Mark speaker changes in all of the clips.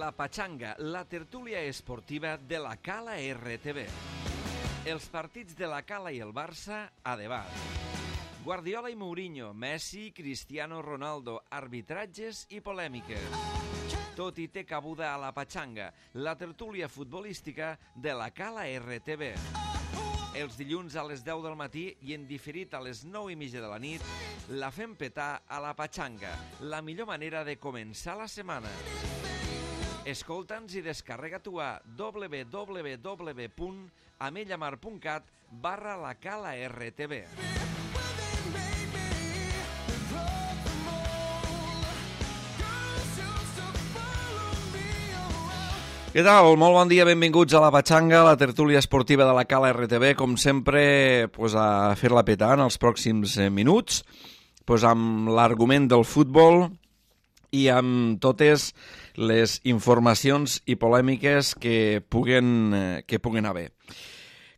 Speaker 1: La Pachanga, la tertúlia esportiva de la Cala RTV. Els partits de la Cala i el Barça a debat. Guardiola i Mourinho, Messi, Cristiano Ronaldo, arbitratges i polèmiques. Tot hi té cabuda a La Pachanga, la tertúlia futbolística de la Cala RTV. Els dilluns a les 10 del matí i en diferit a les 9:30 de la nit, la fem petar a La Pachanga, la millor manera de començar la setmana. Escolta'ns i descarrega-t'ho a www.amellamar.cat/la Cala RTV. Què tal? Molt bon dia, benvinguts a La Pachanga, la tertúlia esportiva de la Cala RTV. Com sempre, a fer-la petar en els pròxims minuts, amb l'argument del futbol i amb totes les informacions i polèmiques que puguen haver.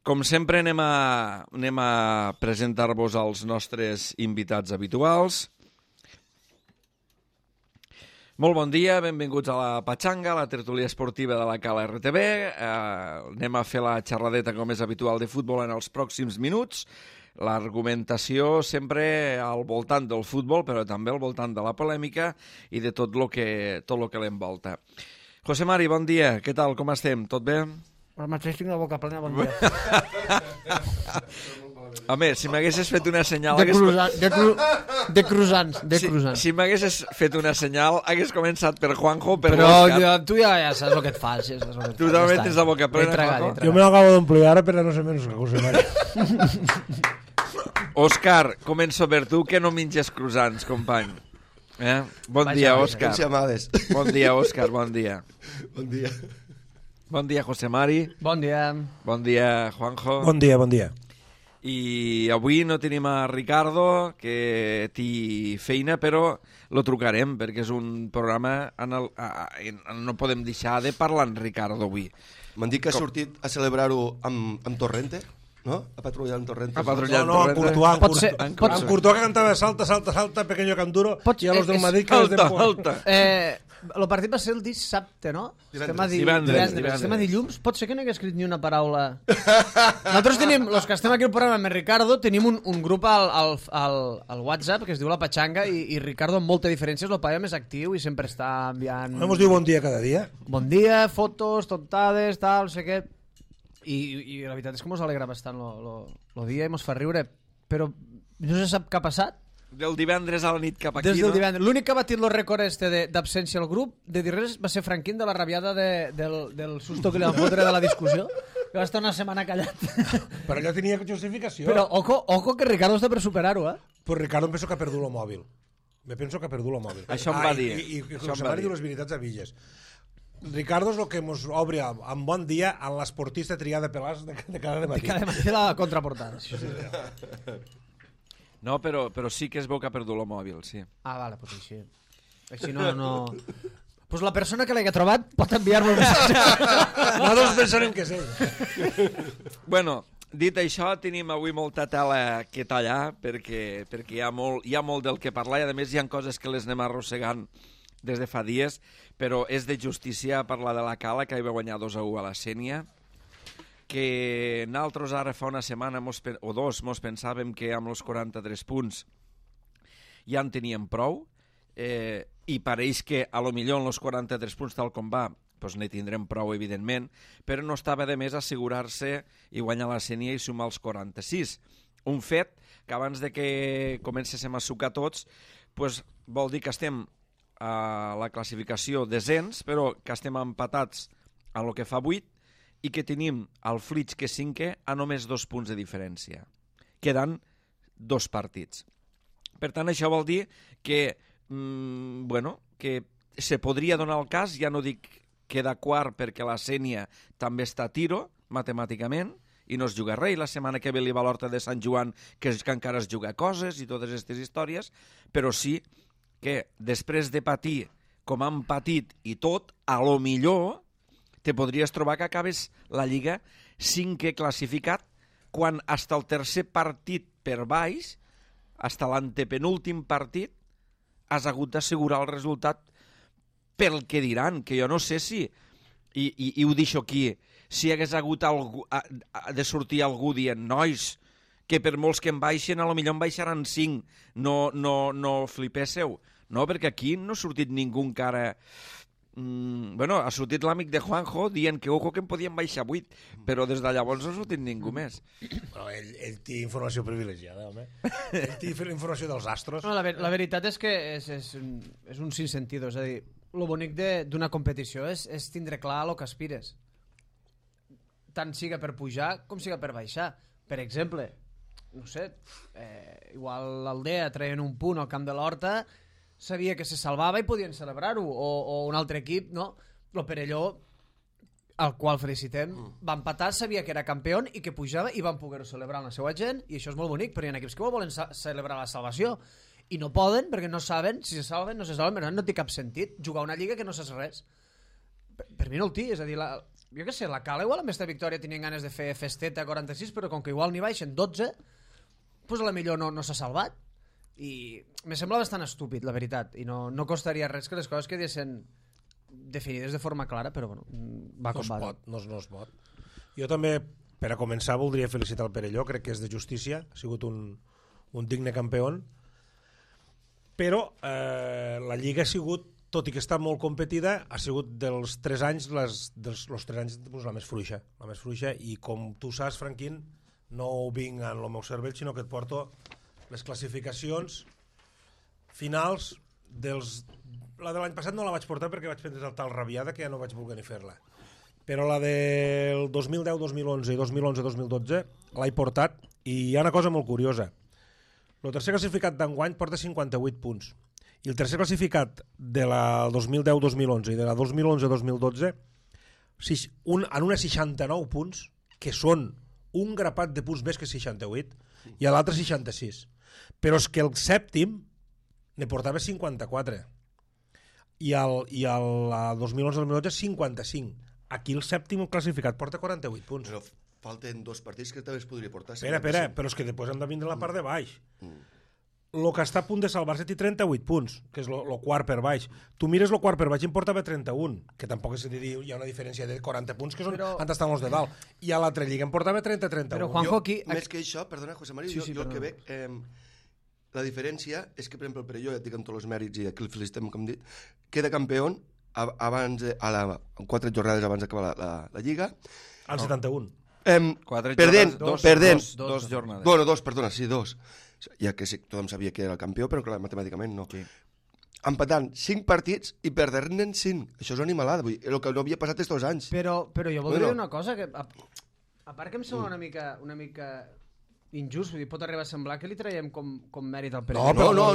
Speaker 1: Com sempre, anem a presentar-vos els nostres invitats habituals. Molt bon dia, benvinguts a La Pachanga, la tertúlia esportiva de la Cala RTV. Anem a fer la xerradeta, com és habitual, de futbol en els pròxims minuts. L'argumentació sempre al voltant del futbol, però també al voltant de la polèmica i de tot el que l'envolta. José Mari, bon dia. Què tal? Com estem? Tot bé?
Speaker 2: Ara mateix tinc la boca plena, bon dia.
Speaker 1: Home, si m'haguessis fet una senyal...
Speaker 2: De croissants.
Speaker 1: Si m'haguessis fet una senyal, hagués començat per Juanjo, per
Speaker 2: Però
Speaker 1: Òscar.
Speaker 2: tu ja saps el que et fas.
Speaker 1: Tu també tens la boca plena, Juanjo.
Speaker 3: Jo me l'acabo d'omplir ara, però no sé menys que José María.
Speaker 1: Òscar, començo per tu, que no menges croissants, company. Bon dia, Òscar. Bon dia, Òscar, bon dia.
Speaker 4: Bon dia.
Speaker 1: Bon dia, José Mari.
Speaker 2: Bon dia.
Speaker 1: Bon dia, Juanjo.
Speaker 3: Bon dia, bon dia.
Speaker 1: I avui no tenim a Ricardo, que té feina, però lo trucarem, perquè és un programa no podem deixar de parlar en Ricardo avui.
Speaker 4: M'han dit que ha sortit a celebrar-ho amb Torrente, no? A patrullar amb Torrente.
Speaker 1: A patrullar
Speaker 3: No, en Courtois,
Speaker 2: en
Speaker 3: Courtois que cantava salta, pequeño canguro, i a los del Madrid que les de...
Speaker 1: Salta.
Speaker 2: El partit va ser el dissabte, no?
Speaker 1: Divendres.
Speaker 2: Estem a dilluns. Pot ser que no hagués escrit ni una paraula. Nosaltres tenim, els que estem aquí al programa amb Ricardo, tenim un grup al WhatsApp que es diu La Pachanga i Ricardo, amb molta diferència, és el paio més actiu i sempre està enviant...
Speaker 3: No ens diu bon dia cada dia?
Speaker 2: Bon dia, fotos, tontades, tal, no sé què... I la veritat és que mos alegra bastant el dia i mos fa riure, però no se sap què ha passat.
Speaker 1: Del divendres a la nit cap aquí,
Speaker 2: Des del
Speaker 1: no?
Speaker 2: divendres. L'únic que ha batit el rècord d'absència al grup de dir res va ser Franquín, de la rabiada del susto que li van fotre de la discussió, que va estar una setmana callat.
Speaker 3: Però allò tenia justificació.
Speaker 2: Però ojo que Ricardo està per superar-ho,
Speaker 3: Pues Ricardo em penso que ha perdut el mòbil. Penso que ha perdut el mòbil.
Speaker 1: Això em va dir.
Speaker 3: I José Mari diu les veritats a Villes. Ricardo és el que ens obre amb bon dia en l'esportista triada pelàs de cada matí.
Speaker 2: De cada matí la contraportada. Sí.
Speaker 1: No, però sí que es veu que ha perdut el mòbil, sí.
Speaker 2: Ah, vale, pues així. Així no... Pues la persona que l'hagi trobat pot enviar-me un missatge.
Speaker 3: Nosaltres pensarem que és ell.
Speaker 1: Bueno, dit això, tenim avui molta tela que tallar, perquè hi ha molt del que parlar, i a més hi ha coses que les anem arrossegant des de fa dies, però és de justícia parlar de la Cala, que va guanyar 2-1 a la Sénia, que nosaltres ara fa una setmana o dos mos pensàvem que amb els 43 punts ja en teníem prou, i pareix que a lo millor en els 43 punts tal com va ne tindrem prou, evidentment, però no estava de més assegurar-se i guanyar la Sénia i sumar els 46. Un fet que abans de que comencéssim a sucar tots vol dir que estem a la classificació descens, però que estem empatats a lo que fa 8 i que tenim el Flix, que és 5è, a només 2 punts de diferència. Queden 2 partits. Per tant, això vol dir que, que se podria donar el cas, ja no dic queda quart perquè la Sénia també està a tiro, matemàticament, i no es juga res, i la setmana que ve li va l'Horta de Sant Joan, que encara es juga coses i totes aquestes històries, però sí que després de patir com han patit i tot, a lo millor te podries trobar que acabes la Lliga 5è classificat quan hasta el tercer partit per baix, hasta l'antepenúltim partit, has hagut d'assegurar el resultat pel que diran, que jo no sé si, i ho deixo aquí, si hagués hagut de sortir algú dient, nois, que per molts que em baixen, a lo millor em baixaran 5, no flipésseu, no? Perquè aquí no ha sortit ningú encara... Bueno, ha sortit l'amic de Juanjo dient que ojo que em podien baixar 8, però des de llavors no ha sortit ningú més.
Speaker 3: Bueno, ell té informació privilegiada, home. Ell té informació dels astros.
Speaker 2: No, la veritat és que és un sinsentido, és a dir, el bonic d'una competició és tindre clar el que aspires. Tant siga per pujar com siga per baixar. Per exemple, no sé, igual l'Aldea traient un punt al camp de l'Horta, sabia que se salvava i podien celebrar-ho, o un altre equip, no? El Perelló, al qual felicitem, va empatar, sabia que era campió i que pujava i van poder-ho celebrar amb la seva gent, i això és molt bonic, però hi ha equips que volen celebrar la salvació i no poden perquè no saben si se salven, no se salven, però no té cap sentit jugar una lliga que no saps res. Per mi no el té, és a dir, jo què sé, la Cala igual amb aquesta victòria tenien ganes de fer festeta a 46, però com que igual n'hi baixen 12, doncs a la millor no s'ha salvat. I me sembla bastant estúpid, la veritat, i no costaria res que les coses quedessin definides de forma clara, però bueno, va com va.
Speaker 3: No es pot. Jo també, per a començar, voldria felicitar el Perelló, crec que és de justícia, ha sigut un digne campió, però la Lliga ha sigut, tot i que està molt competida, ha sigut dels 3 anys, los 3 anys la més fluixa, i com tu saps, Franquín, no ho vinc en el meu cervell, sinó que et porto les classificacions finals la de l'any passat no la vaig portar perquè vaig prendre tal rabiada que ja no vaig voler ni fer-la, però la del 2010, 2011 i 2011-2012 l'he portat, i hi ha una cosa molt curiosa. El tercer classificat d'enguany porta 58 punts i el tercer classificat de la 2010-2011 i de la 2011-2012 en una 69 punts, que són un grapat de punts més que 68, i a l'altre 66. Però és que el sèptim ne portava 54 i el 2011-2012 55. Aquí el sèptim classificat porta 48 punts.
Speaker 4: Però falten 2 partits que també es podria portar.
Speaker 3: Espera, però és que després hem de vindre la part de baix. El que està a punt de salvar-se té 38 punts, que és el quart per baix. Tu mires el quart per baix i em portava 31, que tampoc és dir, hi ha una diferència de 40 punts, que són on estan els de dalt. I a l'altra lliga em portava 30-31.
Speaker 2: Però Juanjo, aquí...
Speaker 4: Més que això, perdona, José María, jo el que veig... La diferència és que, per exemple, el Perelló, ja et dic amb tots els mèrits, i aquí el felicitem, com hem dit, queda campió abans, 4 jornades abans d'acabar la Lliga.
Speaker 3: Al 71.
Speaker 4: Perdent.
Speaker 1: Dos jornades.
Speaker 4: Bueno, 2, perdona, sí, 2. Ja que sí, tothom sabia que era el campió, però clar, matemàticament no. Sí. Empatant 5 partits i perdent-ne 5. Això és una animalada, vull dir, el que no havia passat aquests 2 anys.
Speaker 2: Però jo voldria dir una cosa, que a part que em sembla una mica injust, vull dir, pot arribar a semblar que li traiem com mèrit al Perelló.
Speaker 4: No.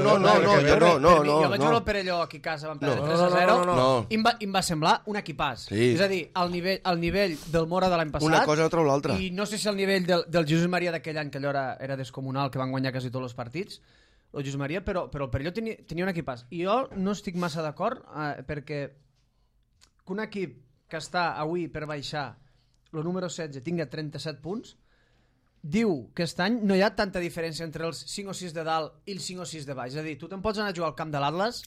Speaker 2: Jo vaig veure el Perelló aquí a casa, vam perdre 3-0, i em va semblar un equipàs.
Speaker 4: Sí.
Speaker 2: És a dir, al nivell del Mora de l'any passat,
Speaker 4: una cosa no treu l'altra.
Speaker 2: i no sé si al nivell del Jesús Maria d'aquell any, que allò era descomunal, que van guanyar quasi tots els partits, el Jesús Maria, però el Perelló tenia un equipàs. I jo no estic massa d'acord, perquè que un equip que està avui per baixar, el número 16, tinga 37 punts, diu que aquest any no hi ha tanta diferència entre els 5 o 6 de dalt i els 5 o 6 de baix. És a dir, tu te'n pots anar a jugar al camp de l'Atlas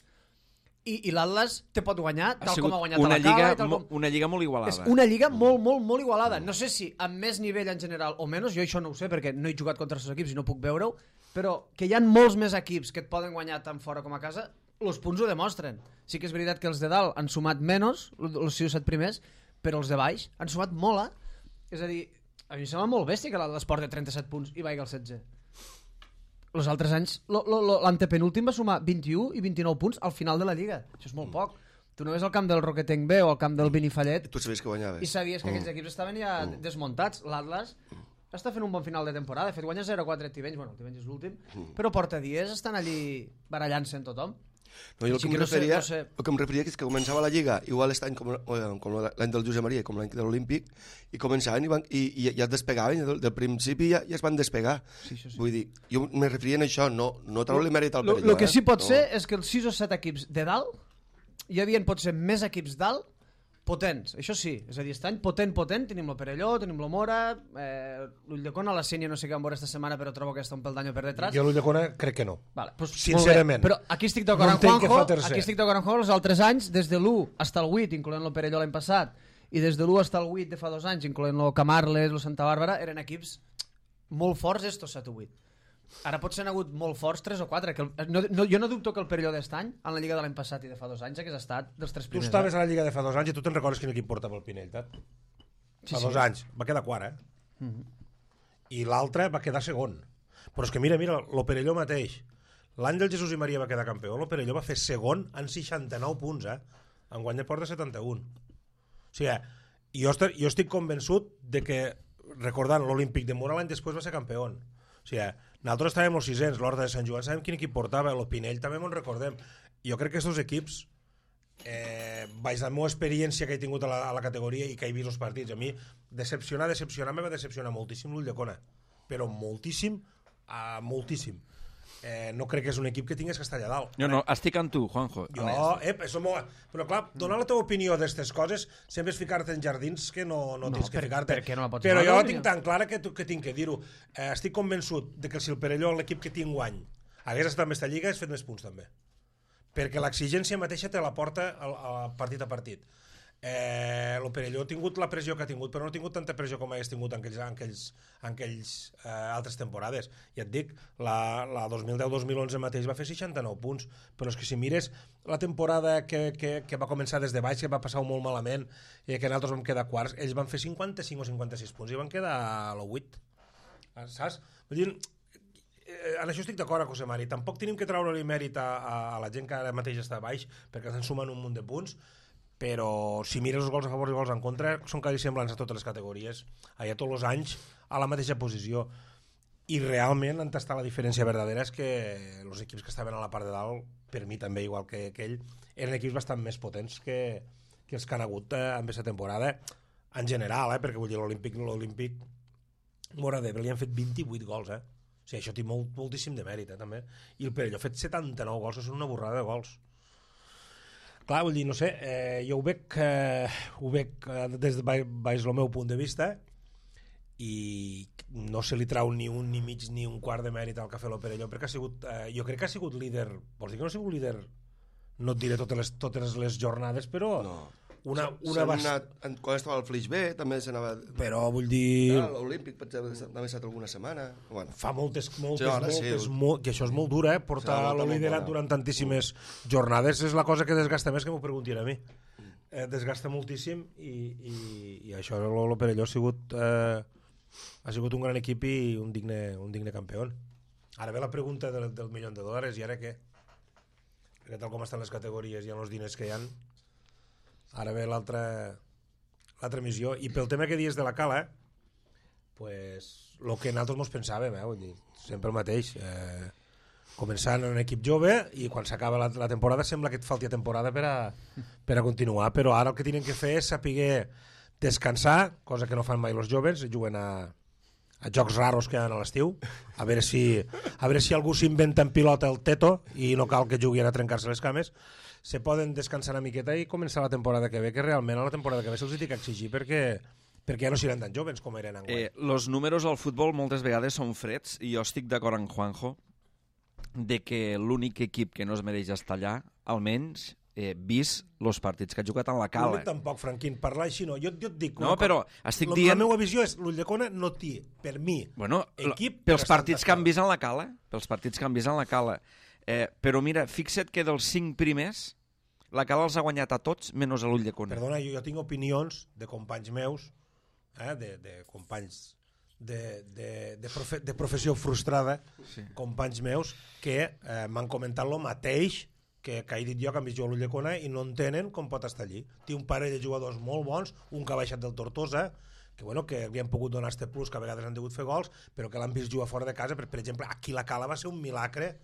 Speaker 2: i l'Atlas te pot guanyar tal com ha guanyat a la Cala.
Speaker 1: Una lliga molt igualada.
Speaker 2: És una lliga molt igualada. No sé si amb més nivell en general o menys, jo això no ho sé perquè no he jugat contra els equips i no puc veure-ho, però que hi ha molts més equips que et poden guanyar tant fora com a casa, els punts ho demostren. Sí que és veritat que els de dalt han sumat menys, els 6 o 7 primers, però els de baix han sumat molt, És a dir, a mi em sembla molt bèstia que l'esport de 37 punts i vagi al 16. Els altres anys, l'antepenúltim va sumar 21 i 29 punts al final de la Lliga. Això és molt poc. Tu no ves al camp del Roquetenc B o al camp del Benifallet
Speaker 4: tu sabies que guanyaves.
Speaker 2: I sabies que aquells equips estaven ja desmuntats. L'Atlas està fent un bon final de temporada. De fet, guanya 0-4 Tivenys. Bueno, el Tivenys és l'últim. Però porta dies estan allí barallant-se amb tothom.
Speaker 4: No, jo el que em referia és que començava la Lliga igual aquest any com l'any del Josep Maria com l'any de l'Olímpic i començaven i ja es despegaven del principi ja es van despegar. Vull dir, jo me referia a això, no treure-li mèrit al Perelló.
Speaker 2: El que sí pot ser és que els 6 o 7 equips de dalt hi havia potser més equips dalt potents, això sí, és a dir, aquest any potent, tenim el Perelló, tenim el Mora, l'Ulldecona, la Sénia no sé què vam veure esta setmana, però trobo que està un pel d'any per detrás.
Speaker 3: Jo l'Ulldecona crec que no.
Speaker 2: Vale, pues,
Speaker 3: sincerament.
Speaker 2: Però aquí estic d'acord amb Juanjo, els altres anys, des de l'1 fins al 8, incloent el Perelló l'any passat, i des de l'1 fins al 8 de fa 2 anys, incloent el Camarles, el Santa Bàrbara, eren equips molt forts estos 7 o 8. Ara potser n'ha hagut molt forts 3 o 4. Jo no dubto que el Perelló d'est any, en la Lliga de l'any passat i de fa 2 anys, hagués estat dels 3 primers.
Speaker 3: Tu estaves a la Lliga de fa 2 anys i tu te'n recordes quin equip portava el Pinell, Tat? Fa 2 anys. Va quedar quart, I l'altre va quedar segon. Però és que mira, el Perelló mateix. L'any del Jesús i Maria va quedar campió, el Perelló va fer segon en 69 punts, Enguany ja porta 71. O sigui, jo estic convençut de que, recordant l'Olímpic de Mura, l'any després va ser campió. O sigui, nosaltres estàvem els 600, l'Horta de Sant Joan, sabem quin equip portava, el Pinell també me'n recordem. Jo crec que aquests equips, baix la meva experiència que he tingut a la categoria i que he vist els partits, a mi me va decepcionar moltíssim l'Ulldecona, però moltíssim, moltíssim. No crec que és un equip que tingués que estar allà dalt.
Speaker 1: Jo no, estic amb tu, Juanjo.
Speaker 3: Però clar, donar la teva opinió d'aquestes coses sempre és ficar-te en jardins que no tens que ficar-te. Però jo tinc tan clara que tinc que dir-ho. Estic convençut de que si el Perelló, l'equip que tinc guany, hagués estat en aquesta lliga, hagués fet més punts també. Perquè l'exigència mateixa te la porta partit a partit. El Perelló ha tingut la pressió que ha tingut, però no ha tingut tanta pressió com hagués tingut en aquells altres temporades. Ja et dic, la 2010-2011 mateix va fer 69 punts, però és que si mires la temporada que va començar des de baix, que va passar molt malament, i que nosaltres vam quedar quarts, ells van fer 55 o 56 punts i van quedar a l'8. Saps? Vull dir, en això estic d'acord, José Mari. Tampoc tenim que treure-li mèrit a la gent que ara mateix està baix, perquè estan sumant un munt de punts, però si mires els gols a favor i els gols en contra són quasi semblants a totes les categories, allà tots els anys a la mateixa posició, i realment on està la diferència verdadera és que els equips que estaven a la part de dalt, per mi també igual que ell, eren equips bastant més potents que els que han hagut en aquesta temporada en general, perquè vull dir l'Olímpic Mora d'Ebre li han fet 28 gols, o sigui, això té moltíssim de mèrit també, i el Perelló ha fet 79 gols, que són una borrada de gols. Clar, vull dir, no sé, jo ho veig des de baix el meu punt de vista, i no se li trau ni un, ni mig, ni un quart de mèrit al que ha fet el Perelló, perquè jo crec que ha sigut líder, vols dir que no ha sigut líder, no et diré totes les jornades, però una
Speaker 4: quan estava al Flix B també s'anava,
Speaker 3: però vull dir
Speaker 4: l'Olímpic també ha estat alguna setmana,
Speaker 3: fa moltes que això és molt dur, portar el liderat durant tantíssimes jornades és la cosa que desgasta més, que m'ho preguntin a mi, desgasta moltíssim, i això el Perelló ha sigut un gran equip i un digne campió. Ara ve la pregunta del $1.000.000, i ara què? Perquè tal com estan les categories i els diners que hi ha, ara ve l'altra missió. I pel tema que dius de la cala, pues, el que nosaltres mos pensàvem, vull dir, sempre el mateix, començant en un equip jove, i quan s'acaba la temporada sembla que et falti temporada per a continuar, però ara el que tenen que fer és saber descansar, cosa que no fan mai els joves, juguen a jocs raros que hi ha a l'estiu, a veure si algú s'inventa en pilota el teto i no cal que juguin a trencar-se les cames, se poden descansar una miqueta i començar la temporada que ve, que realment a la temporada que ve se'ls ha d'exigir perquè ja no seran tan joves com eren enguany.
Speaker 1: Els números al futbol moltes vegades són freds, i jo estic d'acord amb Juanjo de que l'únic equip que no es mereix estar allà, almenys vist els partits que ha jugat en la cala.
Speaker 3: L'únic tampoc, Franquín, parlar així no. Jo et dic...
Speaker 1: No, però estic dient...
Speaker 3: La meva visió és, l'Ulldecona no té, per mi, equip...
Speaker 1: Pels partits que han vist en la cala, però mira, fixa't que dels 5 primers, la cala els ha guanyat a tots, menys a l'Ulldecona.
Speaker 3: Perdona, jo tinc opinions de companys meus, de companys de professió frustrada, companys meus, que m'han comentat el mateix que he dit jo, que han vist jo a l'Ulldecona i no entenen com pot estar allí. Té un parell de jugadors molt bons, un que ha baixat del Tortosa, que li han pogut donar este plus, que a vegades han degut fer gols, però que l'han vist jugar fora de casa. Per exemple, aquí la cala va ser un milagre,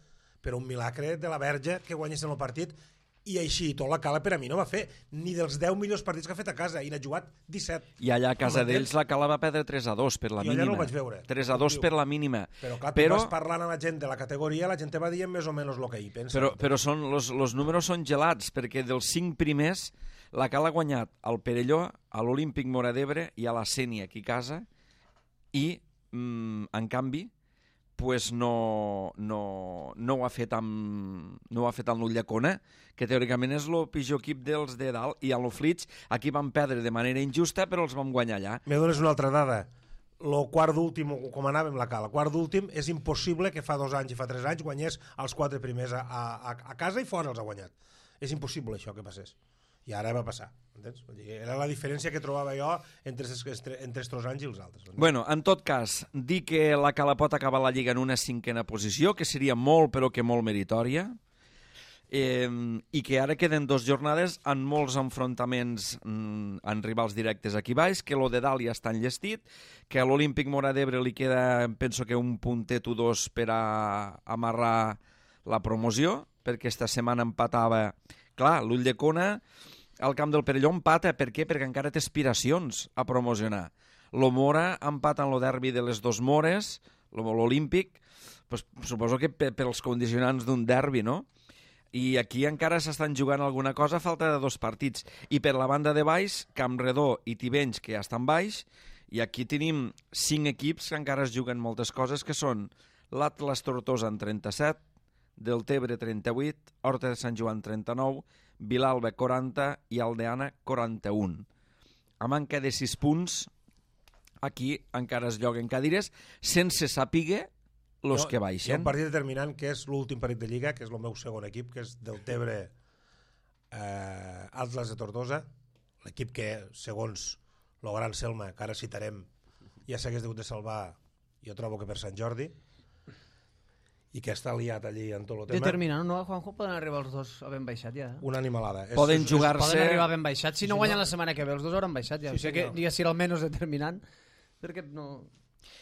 Speaker 3: però un milagre de la Verge que guanyessin el partit, i així tot la cala per a mi no va fer ni dels 10 millors partits que ha fet a casa, i n'ha jugat 17.
Speaker 1: I allà a casa d'ells la cala va perdre 3-2 per la mínima.
Speaker 3: Jo allà no ho vaig veure.
Speaker 1: 3-2 per la mínima.
Speaker 3: Però clar, tu vas parlant amb la gent de la categoria, la gent te va dient més o menys el que hi pensa.
Speaker 1: Però els números són gelats, perquè dels 5 primers La Cal ha guanyat al Perelló, a l'Olímpic Móra d'Ebre i a la Sénia aquí a casa i, en canvi, pues no ho ha fet amb l'Ulldecona, que teòricament és el pitjor equip dels de dalt, i a l'Oflits aquí van perdre de manera injusta, però els vam guanyar allà.
Speaker 3: Me dones una altra dada. El quart d'últim, com anàvem la Cal, el quart d'últim és impossible que fa 2 anys i fa 3 anys guanyés els 4 primers a casa i fora els ha guanyat. És impossible això que passés. I ara va passar. Entens? Era la diferència que trobava jo entre estos anys i els altres.
Speaker 1: Bueno, en tot cas, dir que la Cala pot acabar la Lliga en una 5a posició, que seria molt, però que molt meritòria, i que ara queden 2 jornades en molts enfrontaments en rivals directes aquí baix, que lo de dalt ja està enllestit, que a l'Olímpic Móra d'Ebre li queda, penso que un puntet o 2 per a amarrar la promoció, perquè esta setmana empatava. Clar, l'Ulldecona al camp del Perelló empata. Per què? Perquè encara té aspiracions a promocionar. Lo Móra empata en el derbi de les 2 Mores, l'Olímpic, pues, suposo que pels condicionants d'un derbi, no? I aquí encara s'estan jugant alguna cosa a falta de 2 partits. I per la banda de baix, Campredó i Tivenys, que ja estan baix, i aquí tenim 5 equips que encara es juguen moltes coses, que són l'Atlas Tortosa en 37, Deltebre 38, Horta de Sant Joan 39, Vilalba 40 i Aldeana 41. A manca de 6 punts, aquí encara es lloguen cadires sense saber els que baixen.
Speaker 3: Hi ha un partit determinant que és l'últim partit de Lliga, que és el meu segon equip, que és Deltebre Atlas de Tortosa, l'equip que, segons el gran Selma, que ara citarem, ja s'hagués hagut de salvar, jo trobo que per Sant Jordi, i que està liat allí en tot el tema.
Speaker 2: Determinant, no, Juanjo? Poden arribar els 2 a ben baixat ja.
Speaker 3: Una animalada.
Speaker 1: Poden jugar-se...
Speaker 2: Poden arribar ben baixat. Si no guanyen la setmana que ve, els 2 hauran baixat ja.
Speaker 3: Sí,
Speaker 2: o sigui que ja si almenys determinant, perquè no...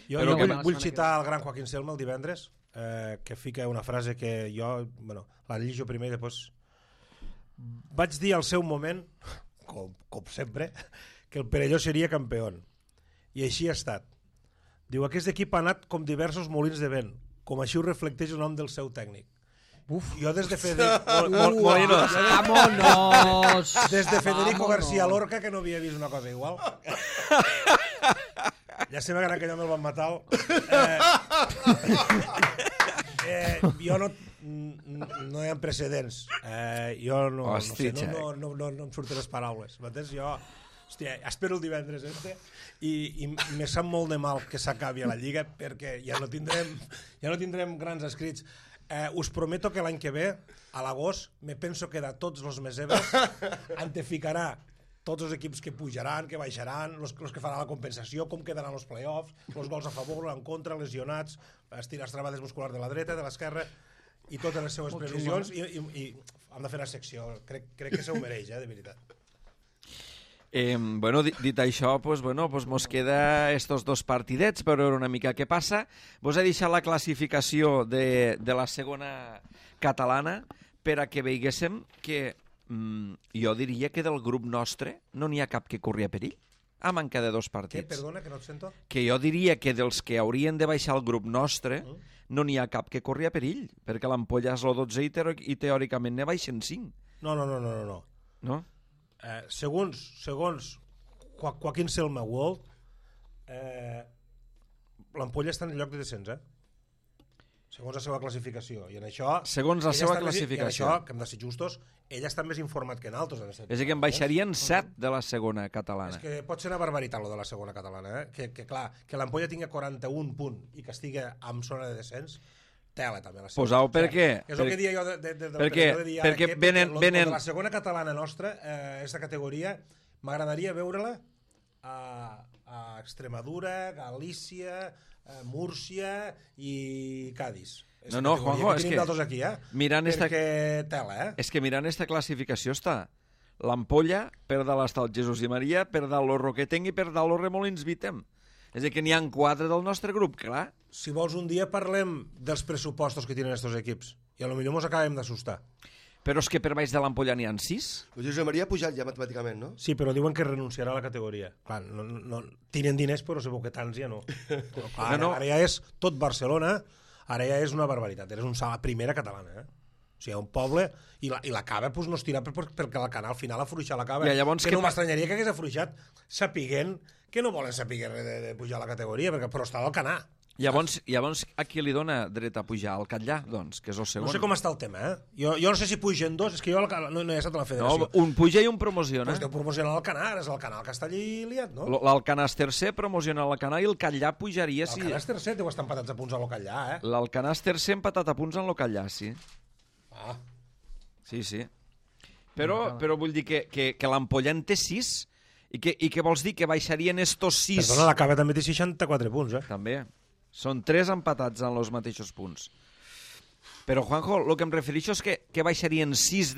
Speaker 3: Jo vull citar el gran Joaquín Selma el divendres, que fica una frase que jo, la llegeixo primer i després... Vaig dir al seu moment, com sempre, que el Perelló seria campió. I així ha estat. Diu, aquest equip ha anat com diversos molins de vent, com així ho reflecteix el nom del seu tècnic. Jo des de Federico García Lorca, que no havia vist una cosa igual. Ja sé que en aquell home el van matar. Jo no hi ha precedents. Jo no sé, no em surten les paraules. Jo... Hòstia, espero el divendres i me sap molt de mal que s'acabi a la Lliga perquè ja no tindrem grans escrits. Us prometo que l'any que ve, a l'agost, me penso que de tots els meseves anteficarà tots els equips que pujaran, que baixaran, els que faran la compensació, com quedaran els play-offs, els gols a favor, en contra, lesionats, les travades musculars de la dreta, de l'esquerra, i totes les seues previsions, i hem de fer una secció. Crec que se ho mereix, de veritat.
Speaker 1: Dit això, mos queda estos 2 partidets per veure una mica què passa. Vos he deixat la classificació de la segona catalana per a que veiguéssim que jo diria que del grup nostre no n'hi ha cap que corria perill a manca de 2 partits.
Speaker 3: Què? Perdona, que no et sento?
Speaker 1: Que jo diria que dels que haurien de baixar el grup nostre no n'hi ha cap que corria perill, perquè l'Ampolla és el 12 i teòricament ne baixen 5.
Speaker 3: No.
Speaker 1: No?
Speaker 3: Segons Joaquín Selma World, l'Ampolla està en el lloc de descens, segons la seva classificació. I en això,
Speaker 1: segons la seva classificació.
Speaker 3: I en això, que hem de ser justos, ell està més informat que nosaltres.
Speaker 1: És que en baixarien 7 de la segona catalana.
Speaker 3: És que pot ser una barbaritat, lo de la segona catalana. Que clar, que l'Ampolla tingui 41 punts i que estigui en zona de descens, tela també.
Speaker 1: Posau per què?
Speaker 3: És el que dia jo
Speaker 1: perquè venen...
Speaker 3: De la segona catalana nostra, aquesta categoria, m'agradaria veure-la a Extremadura, Galícia, Múrcia i Cádiz.
Speaker 1: No, Juanjo, és que...
Speaker 3: Aquí,
Speaker 1: perquè
Speaker 3: tela,
Speaker 1: És que mirant esta classificació està l'Ampolla, per dalt està el Jesús i Maria, per dalt el Roquetenc i per dalt el Remolins Vitem. És a dir, que n'hi ha 4 del nostre grup, clar.
Speaker 3: Si vols, un dia parlem dels pressupostos que tenen estos equips i potser mos acabem d'assustar.
Speaker 1: Però és que per baix de l'Ampolla n'hi ha 6?
Speaker 4: El Josep Maria ha pujat ja matemàticament, no?
Speaker 3: Sí, però diuen que renunciarà a la categoria. Clar, no, tenen diners, però segur que tants ja no. Ara ja és tot Barcelona, ara ja és una barbaritat. És una primera catalana, O sigui, un poble, i la cava pues, no es tira perquè la cana al final afluixa la cava.
Speaker 1: I llavors
Speaker 3: que no m'estranyaria que hagués afluixat sapiguent que no volen saber de pujar a la categoria, però està al canà.
Speaker 1: Llavors a qui li dona dret a pujar? Al Catllà, doncs, que és el segon.
Speaker 3: No sé com està el tema, Jo no sé si pugen dos, és que jo no he estat a la federació.
Speaker 1: No, un puja i un promociona.
Speaker 3: Pues deu promocionar l'Alcanar, és l'Alcanar que està allí liat, no?
Speaker 1: L'Alcanar és tercer, promociona l'Alcanar i el Catllà pujaria si...
Speaker 3: L'Alcanar és tercer, deu estar empatats a punts a l'Ocallà,
Speaker 1: L'Alcanar és tercer empatat a punts en l'Ocallà, sí.
Speaker 3: Ah.
Speaker 1: Sí. Però vull dir que l'Ampolla en té 6 i què vols dir? Que baixarien estos 6...
Speaker 3: Perdona, la Cava també té 64 punts,
Speaker 1: També. Són 3 empatats en els mateixos punts. Però, Juanjo, el que em refereixo és que baixarien 6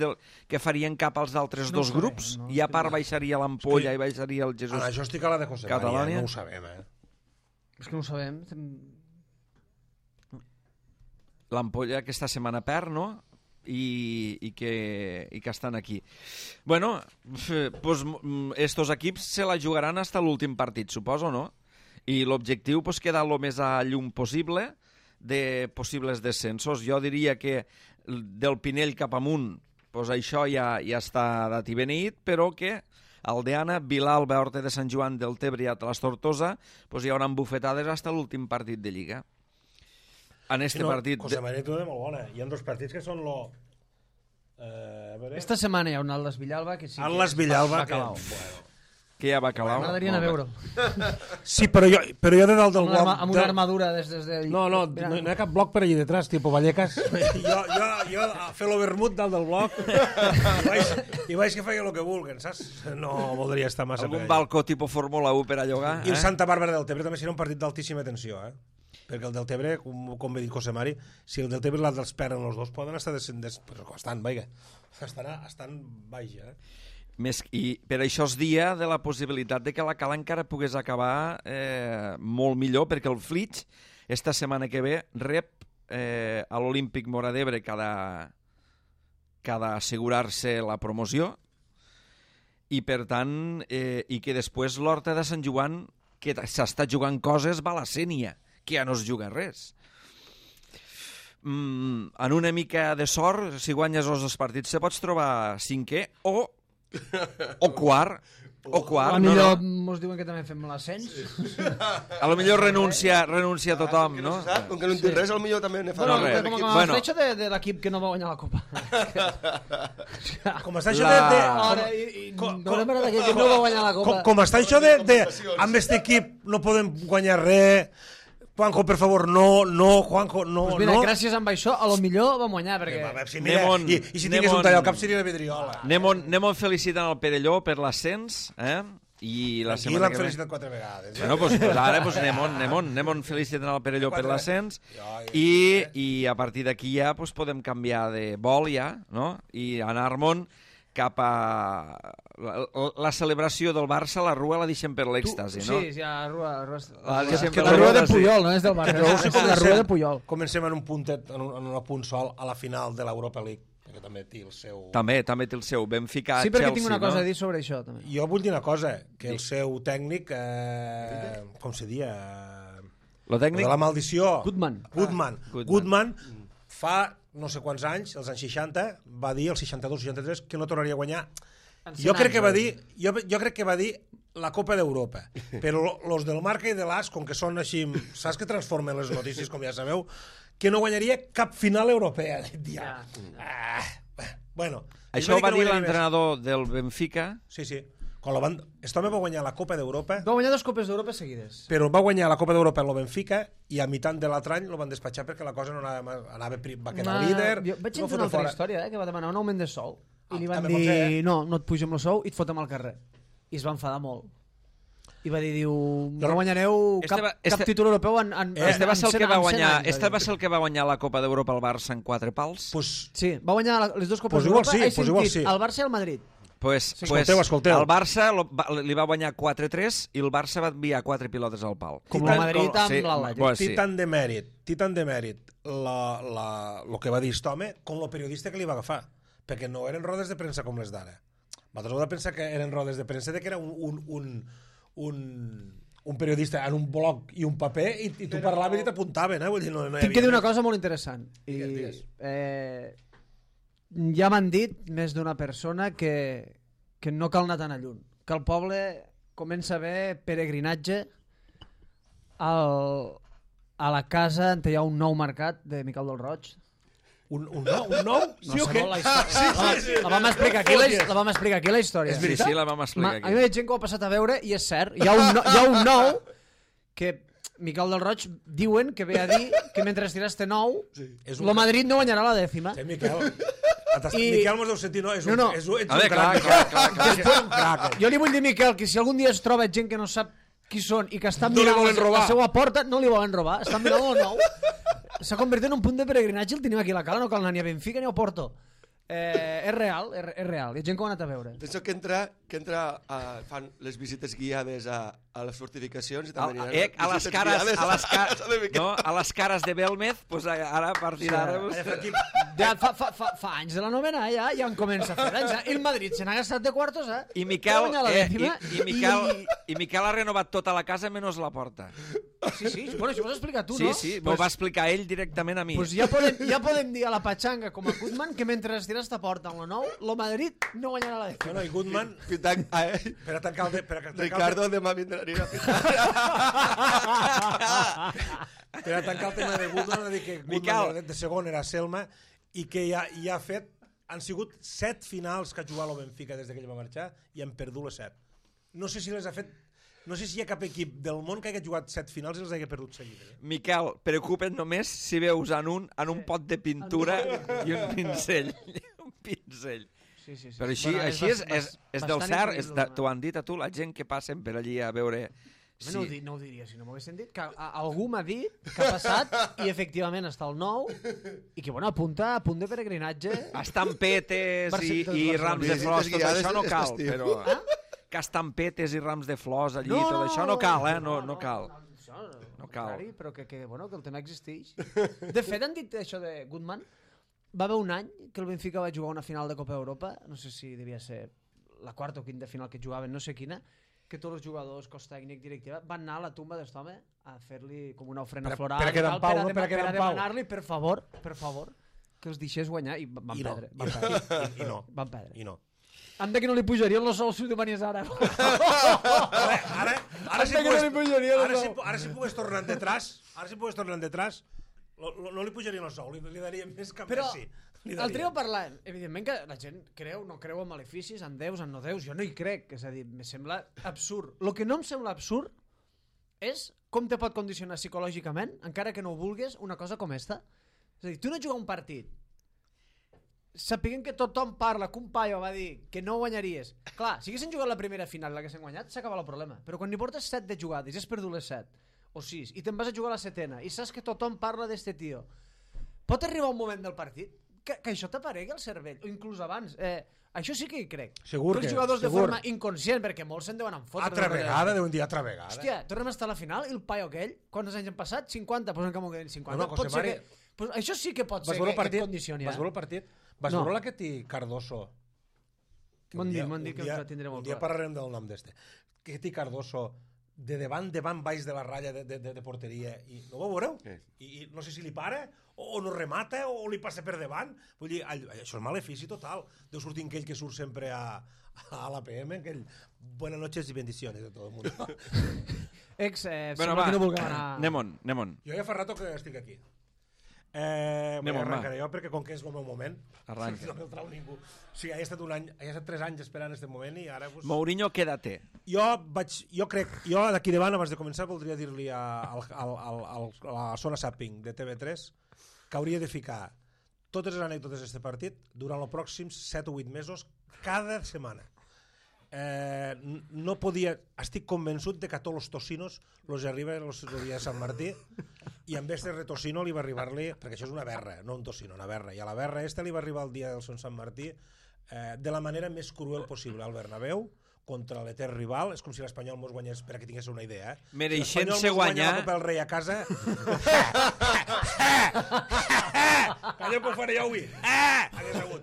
Speaker 1: que farien cap als altres dos grups i a part baixaria l'Ampolla i baixaria el Jesús.
Speaker 3: Això estic a la de José María, no ho sabem,
Speaker 2: És que no ho sabem.
Speaker 1: L'Ampolla aquesta setmana perd, no? I que estan aquí. Bueno, pues estos equips se la jugaran hasta l'últim partit, suposo, no? I l'objectiu pues, queda el més a llum possible de possibles descensos. Jo diria que del Pinell cap amunt pues, això ja està dat i beneït, però que Aldeana, Vilalba, Horta de Sant Joan, Deltebre i Atlas Tortosa pues, hi haurà bufetades fins a l'últim partit de Lliga. En este partit...
Speaker 3: José María tu de molt bona. Hi ha dos partits que són
Speaker 2: Esta setmana hi ha un Atlas Villalba que sí que
Speaker 3: Atlas Villalba
Speaker 1: que ja va acabar.
Speaker 2: M'agradaria anar a veure.
Speaker 3: Sí, però jo de dalt del bloc...
Speaker 2: Amb una armadura des de...
Speaker 3: No hi ha cap bloc per allà detrás, tipus Vallecas. jo a fer l'overmut dalt del bloc i vaig que feia el que vulguen, saps? No voldria estar massa
Speaker 1: algun balcó tipus Fórmula 1 per a llogar.
Speaker 3: I el Santa Bàrbara del Tebre també serà un partit d'altíssima tensió, perquè el del Tebre, com ve dit José Mari, si el del Tebre i l'altre els perden els dos, poden estar estan baix,
Speaker 1: I per això es dia de la possibilitat de que la Cala encara pogués acabar molt millor, perquè el Flix esta setmana que ve rep a l'Olímpic Móra d'Ebre que ha d'assegurar-se la promoció i per tant i que després l'Horta de Sant Joan que s'està jugant coses va a la Sénia, que ja no es juga res. En una mica de sort, si guanyes els dos partits, se pots trobar cinquè o quart.
Speaker 2: A millor mos diuen que també fem l'ascens.
Speaker 1: A lo millor renuncia tothom, no?
Speaker 4: Com que no en té res, potser també ne fa
Speaker 2: res. Com a fletxa de l'equip que no va guanyar la Copa.
Speaker 3: Com està això de...
Speaker 2: No m'agrada que no va guanyar la Copa.
Speaker 3: Com està això de amb aquest equip no podem guanyar res... Juanjo, per favor, no, Juanjo, no.
Speaker 2: Pues mira, gràcies amb això, a lo millor vam guanyar, perquè...
Speaker 3: I si tingués un tall al cap seria la vidriola.
Speaker 1: Anem felicitant el Perelló per l'ascens, i la
Speaker 3: aquí l'han felicitat 4 vegades.
Speaker 1: Bueno, pues ara anem felicitant el Perelló per l'ascens i a partir d'aquí ja podem canviar de vol ja, no? I anar-me'n cap a la celebració del Barça, la rua la deixem per l'èxtasi, no?
Speaker 2: Sí, la rua
Speaker 1: de
Speaker 2: Puyol, no és del Barça, la rua de Puyol.
Speaker 3: Comencem en un puntet, en un punt sol a la final de l'Europa League, perquè també té el seu...
Speaker 1: També té el seu, Benfica, Chelsea, no?
Speaker 2: Sí, perquè tinc una cosa a dir sobre això, també.
Speaker 3: Jo vull dir una cosa, que el seu tècnic, com se dia?
Speaker 1: Lo tècnic?
Speaker 3: De la maldició.
Speaker 2: Goodman
Speaker 3: fa no sé quants anys, els anys 60, va dir, el 62-63, que no tornaria a guanyar. Jo crec que va dir la Copa d'Europa. Però els del Marca i de l'As, com que són així, saps que transformen les notícies, com ja sabeu, que no guanyaria cap final europea. Bueno,
Speaker 1: això va dir l'entrenador del Benfica.
Speaker 3: Sí. Aquest home va guanyar la Copa d'Europa.
Speaker 2: Va guanyar 2 Copes d'Europa seguides.
Speaker 3: Però va guanyar la Copa d'Europa en el Benfica i a mitjan de l'altre any lo van despatxar perquè la cosa no va quedar líder.
Speaker 2: Jo vaig entrar una altra història, que va demanar un augment de sou. I li van dir, no et pugem el sou i et fotem al carrer. I es va enfadar molt. I va dir, no guanyareu cap títol europeu en
Speaker 1: Este va ser el que va guanyar la Copa d'Europa al Barça en 4 pals?
Speaker 2: Sí, va guanyar les 2 Copes d'Europa.
Speaker 3: Igual sí.
Speaker 2: El Barça i el Madrid.
Speaker 3: Escolteu.
Speaker 1: El Barça li va guanyar 4-3 i el Barça va enviar 4 pilotes al pal.
Speaker 2: Com el Madrid amb l'Atlètic.
Speaker 3: Té tant de mèrit el que va dir aquest home com el periodista que li va agafar, perquè no eren rodes de premsa com les d'ara. Vosaltres heu de pensar que eren rodes de premsa que era un periodista en un bloc i un paper i tu parlaves i t'apuntaven, vull dir, no
Speaker 2: tinc que dir una cosa molt interessant. Ja m'han dit més d'una persona que no cal anar tan a lluny, que el poble comença a haver peregrinatge a la casa on hi ha un nou mercat de Miquel del Roig.
Speaker 3: Un nou? Sí o què?
Speaker 2: La vam explicar aquí, la història.
Speaker 1: Sí, la vam explicar
Speaker 2: A mi m'ha dit gent que ho ha passat a veure i és cert. Hi ha un nou que Miquel del Roig diuen que ve a dir que mentre estirà este nou, lo Madrid no guanyarà la dècima.
Speaker 3: Sí, Miquel. Miquel mos deu sentir, no? És un
Speaker 2: crac. Jo li vull dir, Miquel, que si algun dia es troba gent que no sap qui són i que estan mirant la seva porta, no li volen robar, estan mirant el nou. S'ha convertit en un punt de peregrinatge, el tenim aquí a la cala, no cal anar ni a Benfica ni a Porto. És real, hi ha gent que ho ha anat a veure.
Speaker 4: Penso que fan les visites guiades a les fortificacions i també
Speaker 1: a les cares de Belmez, doncs ara a partir d'ara...
Speaker 2: Fa anys de la novena, ja en comença a fer anys. I el Madrid se n'ha gastat de quartos,
Speaker 1: I Miquel ha renovat tota la casa menys la porta.
Speaker 2: Sí, bueno, això ho has explicat tu, no?
Speaker 1: Sí, m'ho va explicar ell directament a mi.
Speaker 2: Doncs ja podem dir a la Pachanga com a Koeman que mentre es tira esta porta amb lo nou, lo Madrid no guanyarà la dècima.
Speaker 3: No, i Koeman... Per a tancar el...
Speaker 4: Ricardo, demà vindrà a pitar.
Speaker 3: Per a tancar el tema de Koeman, de que Koeman de segon era Selma i que ja ha fet... Han sigut 7 finals que ha jugat el Benfica des que ell va marxar i han perdut les 7. No sé si les ha fet... No sé si hi ha cap equip del món que hagi jugat 7 finals i els hagi perdut seguides.
Speaker 1: Miquel, preocupa't només si veus en un pot de pintura i un pincell. Un pincell.
Speaker 2: Sí.
Speaker 1: Però així és del cert, t'ho han dit a tu, la gent que passen per allí a veure...
Speaker 2: No ho diria si no m'ho haguessin dit, que algú m'ha dit que ha passat i efectivament està el nou i que bueno, apunta a punt de peregrinatge.
Speaker 1: Estampetes i rams de flors, tot això no cal, però... Que estampetes i rams de flors allí, tot això no cal, no cal. No cal.
Speaker 2: Però que el tema existeix. De fet, han dit això de Koeman. Va haver un any que el Benfica va jugar una final de Copa Europa, no sé si devia ser la quarta o quinta final que jugaven, no sé quina, que tots els jugadors, cos tècnic, directiva, van anar a la tumba d'este home a fer-li com una ofrena floral
Speaker 3: per a
Speaker 2: demanar-li, per favor, que els deixés guanyar i van perdre. Van perdre.
Speaker 3: I no.
Speaker 2: Anda que no li pujarien els sous si ho demanies ara.
Speaker 3: Ara si pogués tornar detrás, no li pujarien els sous, li darien més que Messi.
Speaker 2: El trio parlant, evidentment que la gent no creu en maleficis, en déus, en no déus, jo no hi crec, és a dir, me sembla absurd. El que no em sembla absurd és com te pot condicionar psicològicament, encara que no ho vulgues, una cosa com esta. És a dir, tu no jugar un partit sapiguem que tothom parla, que un paio va dir que no guanyaries. Clar, si haguessin jugat la primera final i l'haguessin guanyat, s'acaba el problema. Però quan n'hi portes 7 de jugades i has perdut les 7 o 6 i te'n vas a jugar a la setena i saps que tothom parla d'este tio, pot arribar un moment del partit que això t'aparegui el cervell, o inclús abans. Això sí que hi crec.
Speaker 3: Segur
Speaker 2: els jugadors de forma inconscient, perquè molts se'n deuen fotre.
Speaker 3: Altra vegada, deuen dir altra vegada.
Speaker 2: Hòstia, tornem a estar a la final i el paio aquell, quants anys han passat? 50, posen que m'ho queden 50.
Speaker 3: No, José Mari...
Speaker 2: Això sí que pot ser que et condicioni.
Speaker 3: Vas veure el partit? Vas veure la que té Cardoso?
Speaker 2: M'han dit que el tindré molt clar.
Speaker 3: Un dia parlarem del nom d'este. Que té Cardoso de davant, baix de la ratlla de porteria. I no ho veureu? I no sé si li para, o no remata, o li passa per davant. Vull dir, això és malefici total. Deu sortir aquell que surt sempre a l'APM, aquell buenas noches i bendiciones de tot el món.
Speaker 1: Bueno, va, anem-on.
Speaker 3: Jo ja fa rato que estic aquí. Arrencaré jo perquè com que és el meu moment
Speaker 1: arranca.
Speaker 3: No me'l trau ningú. O sigui, he estat 3 anys esperant aquest moment i ara...
Speaker 1: Mourinho, quédate.
Speaker 3: Jo crec, d'aquí davant abans de començar voldria dir-li a la zona Zapping de TV3 que hauria de ficar totes les anècdotes d'aquest partit durant els pròxims 7 o 8 mesos cada setmana. No podia, estic convençut de que a tots els tocinos els arriba el dia de Sant Martí i amb este retocino li va arribar-li, perquè això és una berra, no un tocino, una berra, i a la berra esta li va arribar el dia del Sant Martí de la manera més cruel possible al Bernabéu contra l'etern rival. És com si l'Espanyol mos guanyés, per a que tingués una idea,
Speaker 1: mereixent-se guanyar
Speaker 3: la Copa del Rei a casa allò que ho faré jo avui hagués hagut.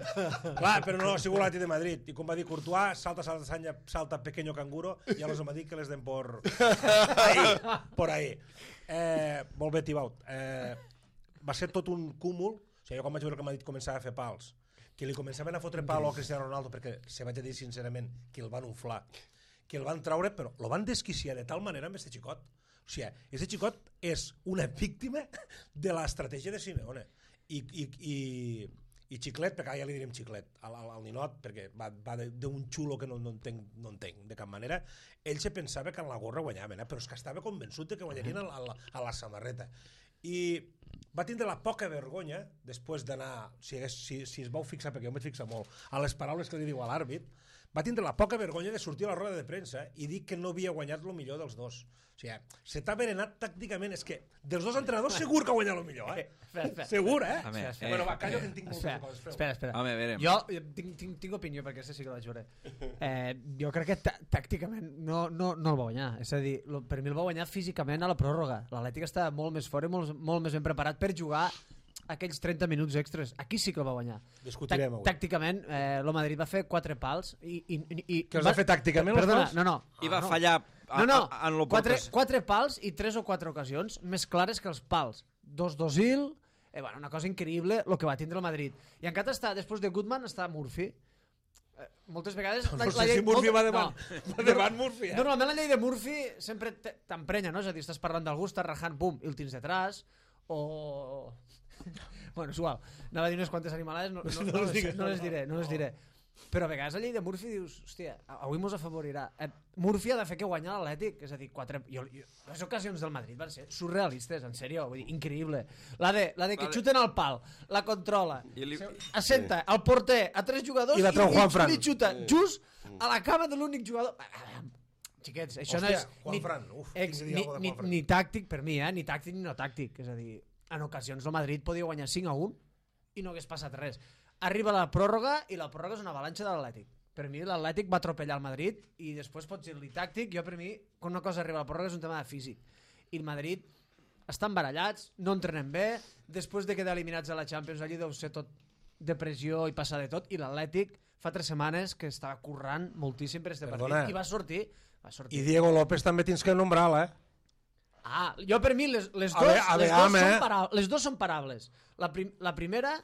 Speaker 3: Clar, però no, ha sigut l'Atlètic de Madrid i com va dir Courtois, salta pequeño canguro i ja los hem dit que les den por ahí. Molt bé, Tibaut. Va ser tot un cúmul, o sigui, jo quan vaig veure que Madrid començava a fer pals que li començaven a fotre palo a Cristiano Ronaldo, perquè se vaig a dir sincerament que el van inflar, que el van traure, però el van desquiciar de tal manera amb este xicot. O sigui, este xicot és una víctima de l'estratègia de Simeone. I Xiclet, perquè ja li direm Xiclet, al ninot, perquè va d'un xulo que no entenc de cap manera. Ell se pensava que en la gorra guanyaven, però és que estava convençut de que guanyarien a la samarreta. I va tindre la poca vergonya, després d'anar, si es vau fixar, perquè jo em vaig fixar molt, a les paraules que li diu a l'àrbit, va tindre la poca vergonya de sortir a la roda de premsa i dir que no havia guanyat el millor dels dos. O sigui, se t'ha berenat tàcticament. És que dels dos entrenadors segur que ha guanyat el millor, Segur, Bueno, va, callo que en tinc moltes coses.
Speaker 2: Espera.
Speaker 1: Home, verem.
Speaker 2: Jo tinc opinió, perquè sí que la juré. Jo crec que tàcticament no el va guanyar. És a dir, per mi el va guanyar físicament a la pròrroga. L'Atlètic estava molt més fort i molt més ben preparat per jugar aquells 30 minuts extras. Aquí sí que el va guanyar.
Speaker 3: Discutirem avui.
Speaker 2: Tàcticament, el Madrid va fer 4 pals i
Speaker 3: que els va fer tàcticament els pals?
Speaker 2: No.
Speaker 1: I va fallar en l'oportunitat.
Speaker 2: 4 pals i 3 o 4 ocasions més clares que els pals. 2 d'Ozil, una cosa increïble el que va tindre el Madrid. I encara està, després de Goodman, està Murphy. Moltes vegades...
Speaker 3: No sé si Murphy va davant Murphy.
Speaker 2: Normalment la llei de Murphy sempre t'emprenya, no? És a dir, estàs parlant d'algú, estàs rajant, bum, i el tens detrás, o... Bueno, és igual. Anava a dir unes quantes animalades, no les diré. Però a vegades la llei de Murphy dius, hòstia, avui mos afavorirà. Murphy ha de fer que guanyar l'Atlètic, és a dir, les ocasions del Madrid van ser surrealistes, en sèrio, vull dir, increïble. La de que xuten al pal, la controla, assenta el porter a 3 jugadors i li xuta just a la cama de l'únic jugador. Xiquets, això no és ni tàctic per mi, ni tàctic ni no tàctic, és a dir, en ocasions el Madrid podia guanyar 5-1 i no hagués passat res. Arriba la pròrroga i la pròrroga és una avalanxa de l'Atlètic. Per mi l'Atlètic va atropellar el Madrid i després pots dir-li tàctic. Jo per mi, quan una cosa arriba a la pròrroga és un tema de físic. I el Madrid estan barallats, no entrenen bé, després de quedar eliminats a la Champions allí deu ser tot depressió i passar de tot, i l'Atlètic fa 3 setmanes que estava currant moltíssim per este partit i va sortir. I
Speaker 3: Diego López també tens que nombrar-la,
Speaker 2: jo per mi les dos són parables. La primera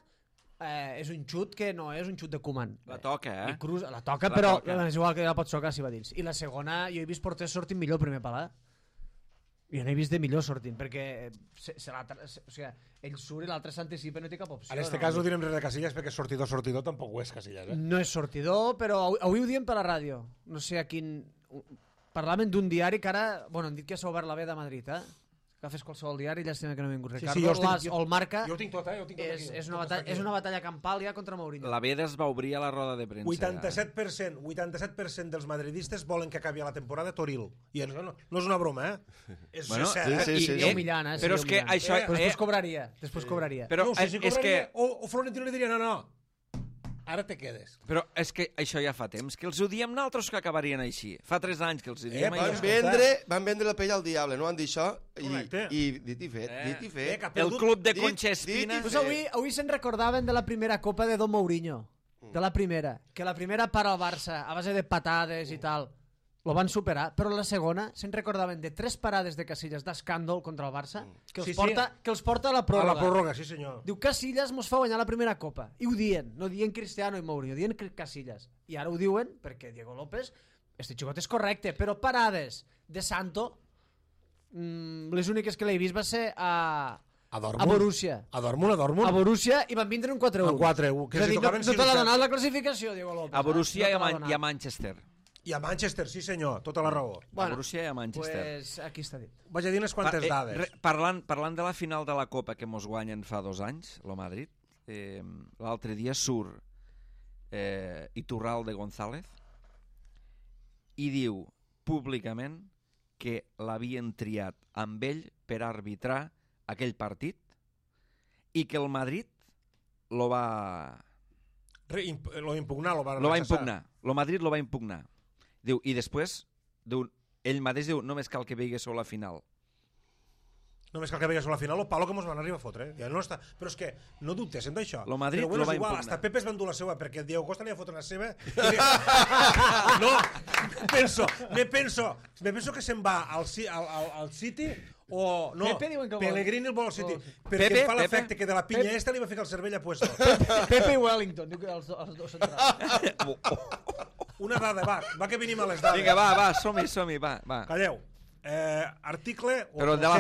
Speaker 2: és un xut que no és un xut de Koeman.
Speaker 1: La toca,
Speaker 2: La toca, però és igual que la pot xocar si va dins. I la segona, jo he vist porters sortint millor el primer pal, Jo no he vist de millor sortint, perquè ell surt i l'altre s'anticipa i no té cap opció.
Speaker 3: En aquest cas no direm res de Casillas, perquè sortidor tampoc ho és Casillas.
Speaker 2: No és sortidor, però avui ho diem per la ràdio. No sé a quin... Parlaven d'un diari que ara... Bueno, han dit que s'ha obert la B de Madrid, Agafes qualsevol diari, llàstima que no ha vingut Ricardo. O el Marca.
Speaker 3: Jo ho tinc tot,
Speaker 2: És una batalla campal ja contra Mourinho.
Speaker 1: La B es va obrir a la roda de premsa.
Speaker 3: 87% dels madridistes volen que acabi la temporada Toril. I no és una broma, És cert.
Speaker 2: I humillant,
Speaker 1: Però és que això...
Speaker 2: Després cobraria.
Speaker 1: Però és que...
Speaker 3: O Florentino li diria, no, ara te quedes.
Speaker 1: Però és que això ja fa temps, que els ho diem nosaltres que acabarien així. Fa 3 anys que els ho diem.
Speaker 4: Van vendre la pell al diable, no van dir això? I dit i fet.
Speaker 1: El club de Concha Espina...
Speaker 2: Avui se'n recordaven de la primera copa de Don Mourinho. De la primera. Que la primera para al Barça, a base de patades i tal. Lo van superar, però la segona se'n recordaven de 3 parades de Casillas d'escàndol contra el Barça que els porta a la pròrroga.
Speaker 3: A la pròrroga, sí senyor.
Speaker 2: Diu, Casillas mos fa guanyar la primera copa. I ho dient, no dient Cristiano i Mourinho, dient Casillas. I ara ho diuen perquè Diego López, este xicot és correcte, però parades de Santo, les úniques que l'he vist va ser a Borussia.
Speaker 3: A Dortmund.
Speaker 2: A Borussia i van vindre un 4-1.
Speaker 3: Un 4-1.
Speaker 2: És a dir, no te l'ha donat la classificació, Diego López.
Speaker 1: A Borussia i a Manchester.
Speaker 3: I a Manchester, sí senyor, tota la raó.
Speaker 1: A Borussia i a Manchester.
Speaker 2: Pues aquí està dit.
Speaker 3: Vaig a dir unes quantes dades.
Speaker 1: Parlant de la final de la Copa que mos guanyen fa 2 anys, el Madrid, l'altre dia surt Iturralde González i diu públicament que l'havien triat amb ell per arbitrar aquell partit i que el Madrid lo va
Speaker 3: impugnar.
Speaker 1: El Madrid lo va impugnar. Diu, i després, ell mateix diu, només cal que vegi sobre la final.
Speaker 3: Només cal que vegués a la final el palo que mos van arribar a fotre. Ja no està... Però és que no dubtessin d'això.
Speaker 1: Lo Madrid
Speaker 3: però bueno,
Speaker 1: lo va
Speaker 3: igual,
Speaker 1: impugnar.
Speaker 3: hasta Pepe es va endur la seva, perquè Diego Costa li va fotre una seva. No, me penso que se'n va al City o... No,
Speaker 2: Pepe diuen que
Speaker 3: Pellegrini el vol al City. Perquè
Speaker 1: Pepe,
Speaker 3: em fa
Speaker 1: Pepe.
Speaker 3: l'efecte que de la pinya esta li va ficar el cervell a puesto.
Speaker 2: Pepe i Wellington, diu que els dos centrals.
Speaker 3: Una dada, va que venim a les dades.
Speaker 1: Vinga, va, som-hi, va.
Speaker 3: Calleu. Article...
Speaker 1: Però de la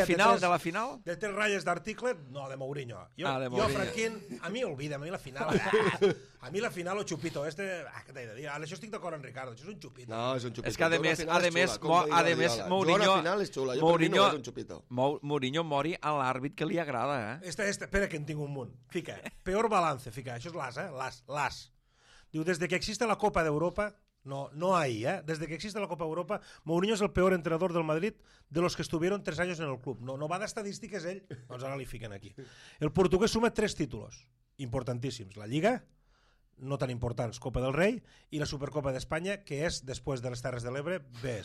Speaker 1: final?
Speaker 3: De 3 ratlles d'article, no, de Mourinho.
Speaker 1: De
Speaker 3: Jo,
Speaker 1: Mourinho.
Speaker 3: Franquín, a mi olvida, a mi la final... A mi la final, o xupito. Què t'he de dir? Ara, això estic d'acord amb Ricardo, això és un xupito.
Speaker 4: No, és un xupito.
Speaker 1: És que, a més, Mourinho...
Speaker 4: Jo a la final és xula, jo per mi no és un xupito.
Speaker 1: Mourinho mori a l'àrbit que li agrada,
Speaker 3: Espera, que en tinc un munt. Fica, peor balance, fica. Això és l'AS. Diu, desde que existe la Copa d'Europa... No ahí, Desde que existe la Copa Europa, Mourinho es el peor entrenador del Madrid de los que estuvieron 3 años en el club. No va d'estadístiques ell, doncs ara li fiquen aquí. El portugués suma 3 títulos importantíssims. La Lliga, no tan importants, Copa del Rei, i la Supercopa d'Espanya, que és, després de les Terres de l'Ebre, ve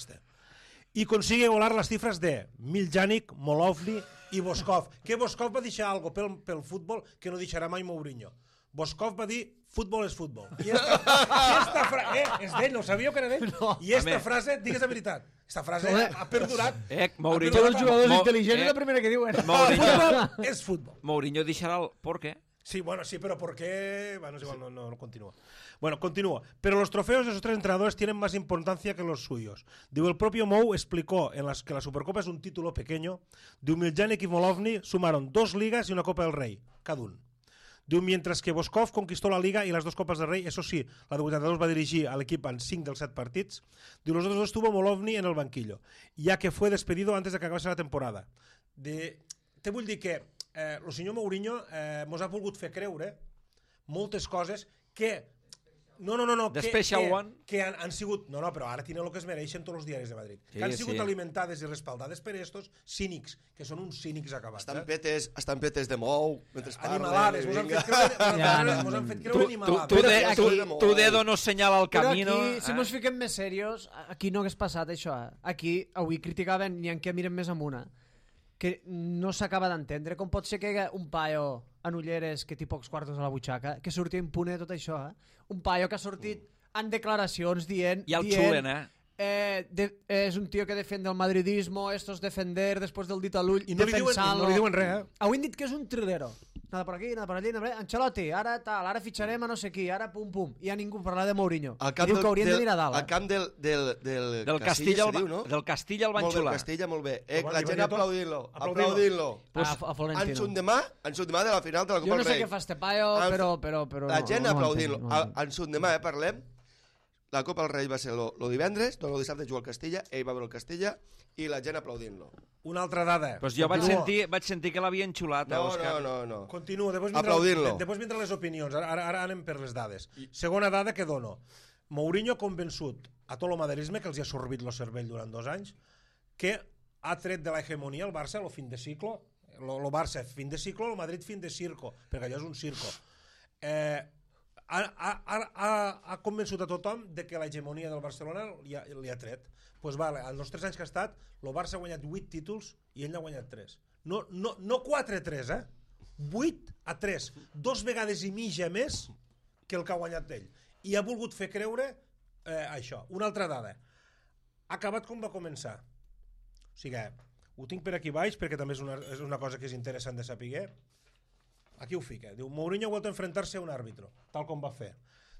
Speaker 3: Y consigue volar las cifras de Miljanic, Molovny i Boskov. Que Boskov va deixar algo pel futbol que no deixarà mai Mourinho. Boskov va dir, futbol és futbol. I esta frase, és d'ell, no sabíeu que era d'ell? No. I esta frase, digues la veritat, esta frase ha perdurat.
Speaker 1: Mourinho,
Speaker 2: Tots els jugadors intel·ligents és la primera que diuen.
Speaker 3: Futbol és futbol.
Speaker 1: Mourinho deixarà el... ¿Por qué?
Speaker 3: Sí, bueno, sí, pero ¿por qué? Bueno, es igual, no continúa. Bueno, continúa. Pero los trofeos de esos 3 entrenadores tienen más importancia que los suyos. Digo, el propio Mou explicó que la Supercopa es un título pequeño. Diu, Miljanic y Molovny sumaron 2 ligas y una Copa del Rey, cada uno. Diu, mientras que Boskov conquistó la Liga y las 2 Copas del Rey, eso sí, la de 82 va dirigir al equipo en 5 dels 7 partits. Diu, los otros 2 estuvo Molovny en el banquillo, ya que fue despedido antes de que acabase la temporada. Te vull dir que el senyor Mourinho mos ha volgut fer creure moltes coses que... No. Que han sigut... No, però ara tenen el que es mereixen tots els diaris de Madrid. Sí, que han sigut alimentades i respaldades per estos cínics, que són uns cínics acabats.
Speaker 4: Estan petes de Mou, mentre parlen.
Speaker 3: Animalades, mos han fet creure animalades.
Speaker 1: Tu dedo no senyala el camino.
Speaker 2: Però aquí, si mos fiquem més serios, aquí no hagués passat això. Aquí, avui criticaven, n'hi ha que miren més amunt, que no s'acaba d'entendre com pot ser que hi hagi un paio en ulleres que té pocs quartos a la butxaca que surti impune de tot això, un paio que ha sortit en declaracions dient...
Speaker 1: I el xulen,
Speaker 2: és un tio que defiende el madridismo, esto es defender después del dit a l'ull,
Speaker 3: i no li diuen res,
Speaker 2: Avui han dit que és un trilero. Nada por aquí, nada por allí, nada... Ancelotti, ara tal, ara fitxarem a no sé qui, ara pum. I ha ningú parlat de Mourinho. Diu que haurien de mirar dalt.
Speaker 4: Al camp del
Speaker 1: Castilla
Speaker 4: se diu, no?
Speaker 1: Del Castilla el van xular.
Speaker 4: Molt bé, Castilla, molt bé. La gent aplaudint-lo.
Speaker 2: A Florentino.
Speaker 4: En sundemà de la final de la Copa del Rei.
Speaker 2: Jo no sé què fa este paio, però...
Speaker 4: La gent aplaudint-lo. En sundemà, parlem, la Copa del Rei va ser el divendres, el dissabte juga al Castilla, ell va veure el Castilla i la gent aplaudint-lo.
Speaker 3: Una altra dada.
Speaker 1: Pues jo vaig sentir que l'havien xulat, Òscar.
Speaker 4: No.
Speaker 3: Continua,
Speaker 4: aplaudint-lo.
Speaker 3: Després vindran les opinions, ara anem per les dades. Segona dada que dono. Mourinho ha convençut a tot el maderisme, que els ha sorbit el cervell durant 2 anys, que ha tret de la hegemonia el Barça el fin de ciclo, el Barça fin de ciclo, el Madrid fin de circo, perquè allò és un circo. Ha convençut a tothom de que l'hegemonia del Barcelona li ha tret. Doncs vale, en els 3 anys que ha estat, el Barça ha guanyat 8 títols i ell n'ha guanyat 3. No 4-3, 8-3. 2 vegades i mitja més que el que ha guanyat ell. I ha volgut fer creure això. Una altra dada. Ha acabat com va començar. O sigui, ho tinc per aquí baix perquè també és una cosa que és interessant de saber. Aquí ho fica. Diu, Mourinho ha vuelto a enfrentarse a un árbitro, tal com va fer.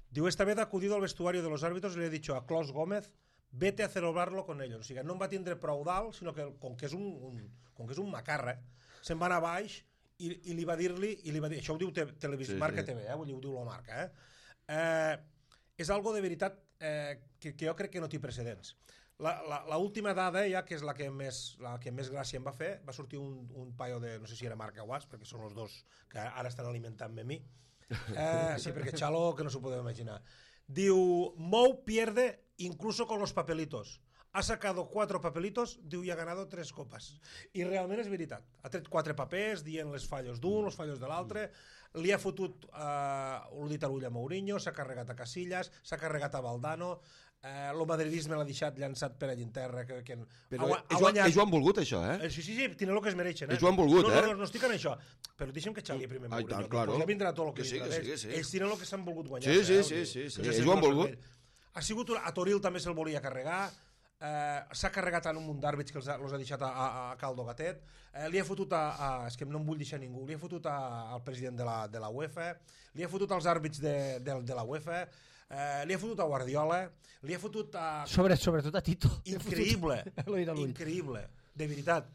Speaker 3: Diu, esta vez ha acudido al vestuario de los árbitros y le ha dicho a Klaus Gómez, vete a celebrarlo con ellos. O sigui, no em va tindre prou dalt, sinó que com que és un macarra, se'n va anar baix i li va dir-li, això ho diu Marca TV, ho diu la Marca, és algo de veritat que jo crec que no té precedents. L'última dada, ja, que és la que més gràcia em va fer, va sortir un paio de, no sé si era Marca o Guas, perquè són els dos que ara estan alimentant-me a mi. Sí, perquè Xalo, que no s'ho podeu imaginar. Diu, Mou pierde incluso con los papelitos. ha sacado 4 papelitos, diu, i ha ganado 3 copas. I realment és veritat. Ha tret 4 papers dient les fallos d'un, els fallos de l'altre, li ha fotut ho dit a l'ull a Mourinho, s'ha carregat a Casillas, s'ha carregat a Valdano, el madridisme l'ha deixat llançat per allà en terra.
Speaker 4: Però ells ho han volgut, això,
Speaker 3: Sí, tenen el que es mereixen.
Speaker 4: Ells ho han volgut,
Speaker 3: No estic en això. Però deixa'm que xali primer Mourinho.
Speaker 4: Claro.
Speaker 3: Ja vindrà tot el que vindrà d'ells. Ells tenen el que s'han volgut guanyar.
Speaker 4: Sí. Ells ho han volgut.
Speaker 3: Ha sigut, a Toril també se'l volia carregar, s'ha carregat en un munt d'àrbits que els ha deixat a Caldo Gatet, li ha fotut és que no em vull deixar ningú, li ha fotut al president de la UEFA, li ha fotut als àrbits de la UEFA, li ha fotut a Guardiola, li ha fotut a...
Speaker 2: Sobretot a Tito.
Speaker 3: Increïble, de veritat.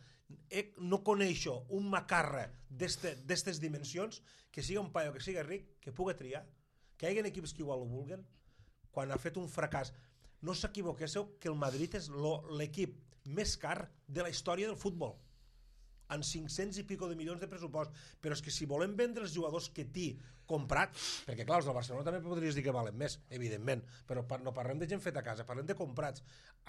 Speaker 3: No coneixo un macarra d'estes dimensions que siga un paio, que siga ric, que pugui triar, que hi hagi equips que igual ho vulguen, quan ha fet un fracàs. No s'equivoquéssiu que el Madrid és l'equip més car de la història del futbol, amb 500 i pico de milions de pressupost. Però és que si volem vendre els jugadors que t'hi comprat, perquè clar, els del Barcelona també podries dir que valen més, evidentment, però no parlem de gent feta a casa, parlem de comprats.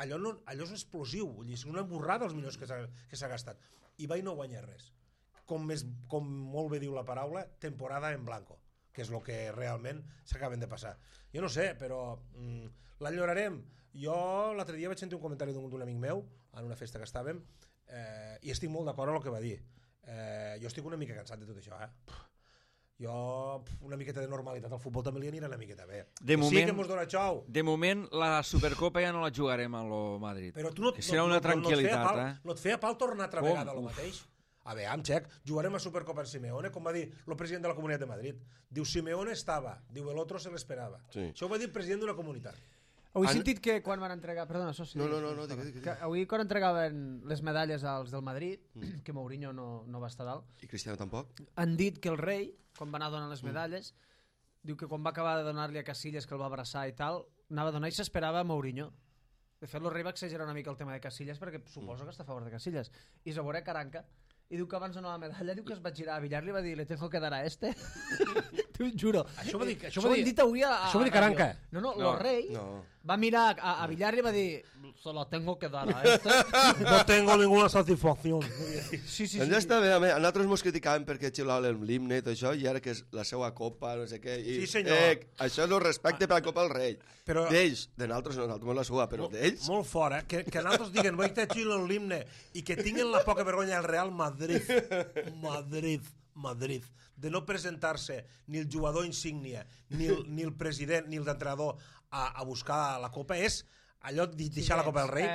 Speaker 3: Allò és explosiu, és una borrada els milions que s'ha gastat. I va i no guanya res. Com molt bé diu la paraula, temporada en blanco, que és el que realment s'acaben de passar. Jo no sé, però l'enyorarem. Jo l'altre dia vaig sentir un comentari d'un amic meu en una festa que estàvem i estic molt d'acord amb el que va dir. Jo estic una mica cansat de tot això, Jo, una miqueta de normalitat al futbol també li anirà una miqueta bé. Sí que mos dona xou.
Speaker 1: De moment, la Supercopa ja no la jugarem a lo Madrid.
Speaker 3: Però tu
Speaker 1: serà una tranquil·litat,
Speaker 3: no et feia pal tornar altra vegada a lo mateix? A veure, Xec, jugarem a Supercopa en Simeone, com va dir el president de la Comunitat de Madrid. Diu, Simeone estava, diu, el otro se l'esperava.
Speaker 4: Sí.
Speaker 3: Això ho va dir el president d'una comunitat.
Speaker 2: Avui he sentit que quan van entregar... Perdona, soci.
Speaker 4: No, digue.
Speaker 2: Avui quan entregaven les medalles als del Madrid, que Mourinho no va estar dalt...
Speaker 4: I Cristiano tampoc.
Speaker 2: Han dit que el rei, quan va anar a donar les medalles, diu que quan va acabar de donar-li a Casillas, que el va abraçar i tal, anava a donar i s'esperava a Mourinho. De fet, el rei va exagerar una mica el tema de Casillas perquè suposo que està a favor de Casillas. I se veurà Caranca, i diu que abans de donar la medalla, diu que es va girar a Villar, li va dir, le tengo que dar a este. T'ho juro.
Speaker 3: Això va dir
Speaker 2: avui a
Speaker 3: això va dir Caranca.
Speaker 2: No, el rei va mirar a Villar i va dir, se lo tengo que dar a este.
Speaker 3: No tengo ninguna satisfacción.
Speaker 2: Sí.
Speaker 4: Doncs ja està bé, a nosaltres mos criticàvem perquè xiulàvem l'himne i tot això, i ara que és la seva copa, no sé què...
Speaker 3: Sí, senyor.
Speaker 4: Això és el respecte per la Copa del Rei. D'ells, de nosaltres no, nosaltres la suba, però d'ells...
Speaker 3: Molt fora, que nosaltres diguen, vaig te xiulen l'himne, i que tinguin la poca vergonya del Real Madrid, de no presentar-se ni el jugador insígnia, ni el president, ni el d'entrenador a buscar la Copa, és allò de deixar la Copa del Rei,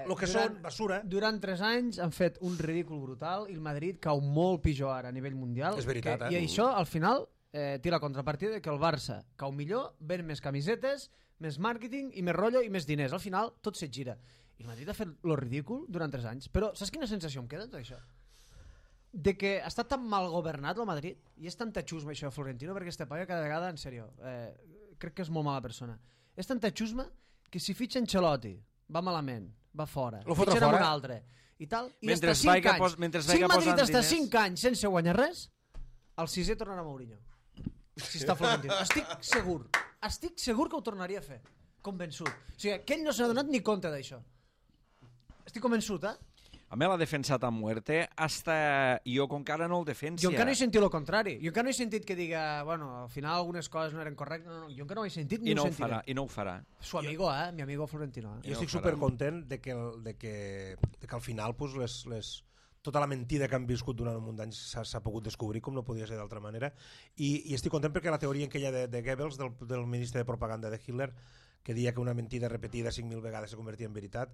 Speaker 3: el que són basura.
Speaker 2: Durant 3 anys han fet un ridícul brutal i el Madrid cau molt pitjor ara a nivell mundial.
Speaker 3: És veritat,
Speaker 2: I això, al final, té la contrapartida que el Barça cau millor, ven més camisetes, més màrqueting i més rotllo i més diners. Al final, tot se gira. I el Madrid ha fet lo ridícul durant 3 anys. Però saps quina sensació em queda tot això? De que ha estat tan mal governat el Madrid, i és tanta xusma això de Florentino, perquè este paio cada vegada, en sèrio, crec que és molt mala persona. És tanta xusma que si fitxa Ancelotti va malament, va fora, fitxen un altre i tal, i
Speaker 1: mentre
Speaker 2: està 5 anys. Si el Madrid està
Speaker 1: diners...
Speaker 2: 5 anys sense guanyar res, el 6è tornarà a Mourinho. Si està Florentino. Estic segur que ho tornaria a fer. Convençut. O sigui, que ell no s'ha donat ni compte d'això. Estic convençut,
Speaker 1: A mi l'ha defensat a muerte, hasta jo com que ara no el defensia.
Speaker 2: Jo encara no he sentit el contrari. Jo encara no he sentit que diga, bueno, al final algunes coses no eren correctes. No, jo encara no ho he sentit ni ho sentiré.
Speaker 1: I no ho farà.
Speaker 2: Su amigo, mi amigo Florentino.
Speaker 3: Jo estic supercontent de que al final pues, tota la mentida que han viscut durant un munt d'anys s'ha pogut descobrir, com no podia ser d'altra manera, i estic content perquè la teoria aquella de Goebbels, del ministre de propaganda de Hitler, que deia que una mentida repetida 5.000 vegades se convertia en veritat,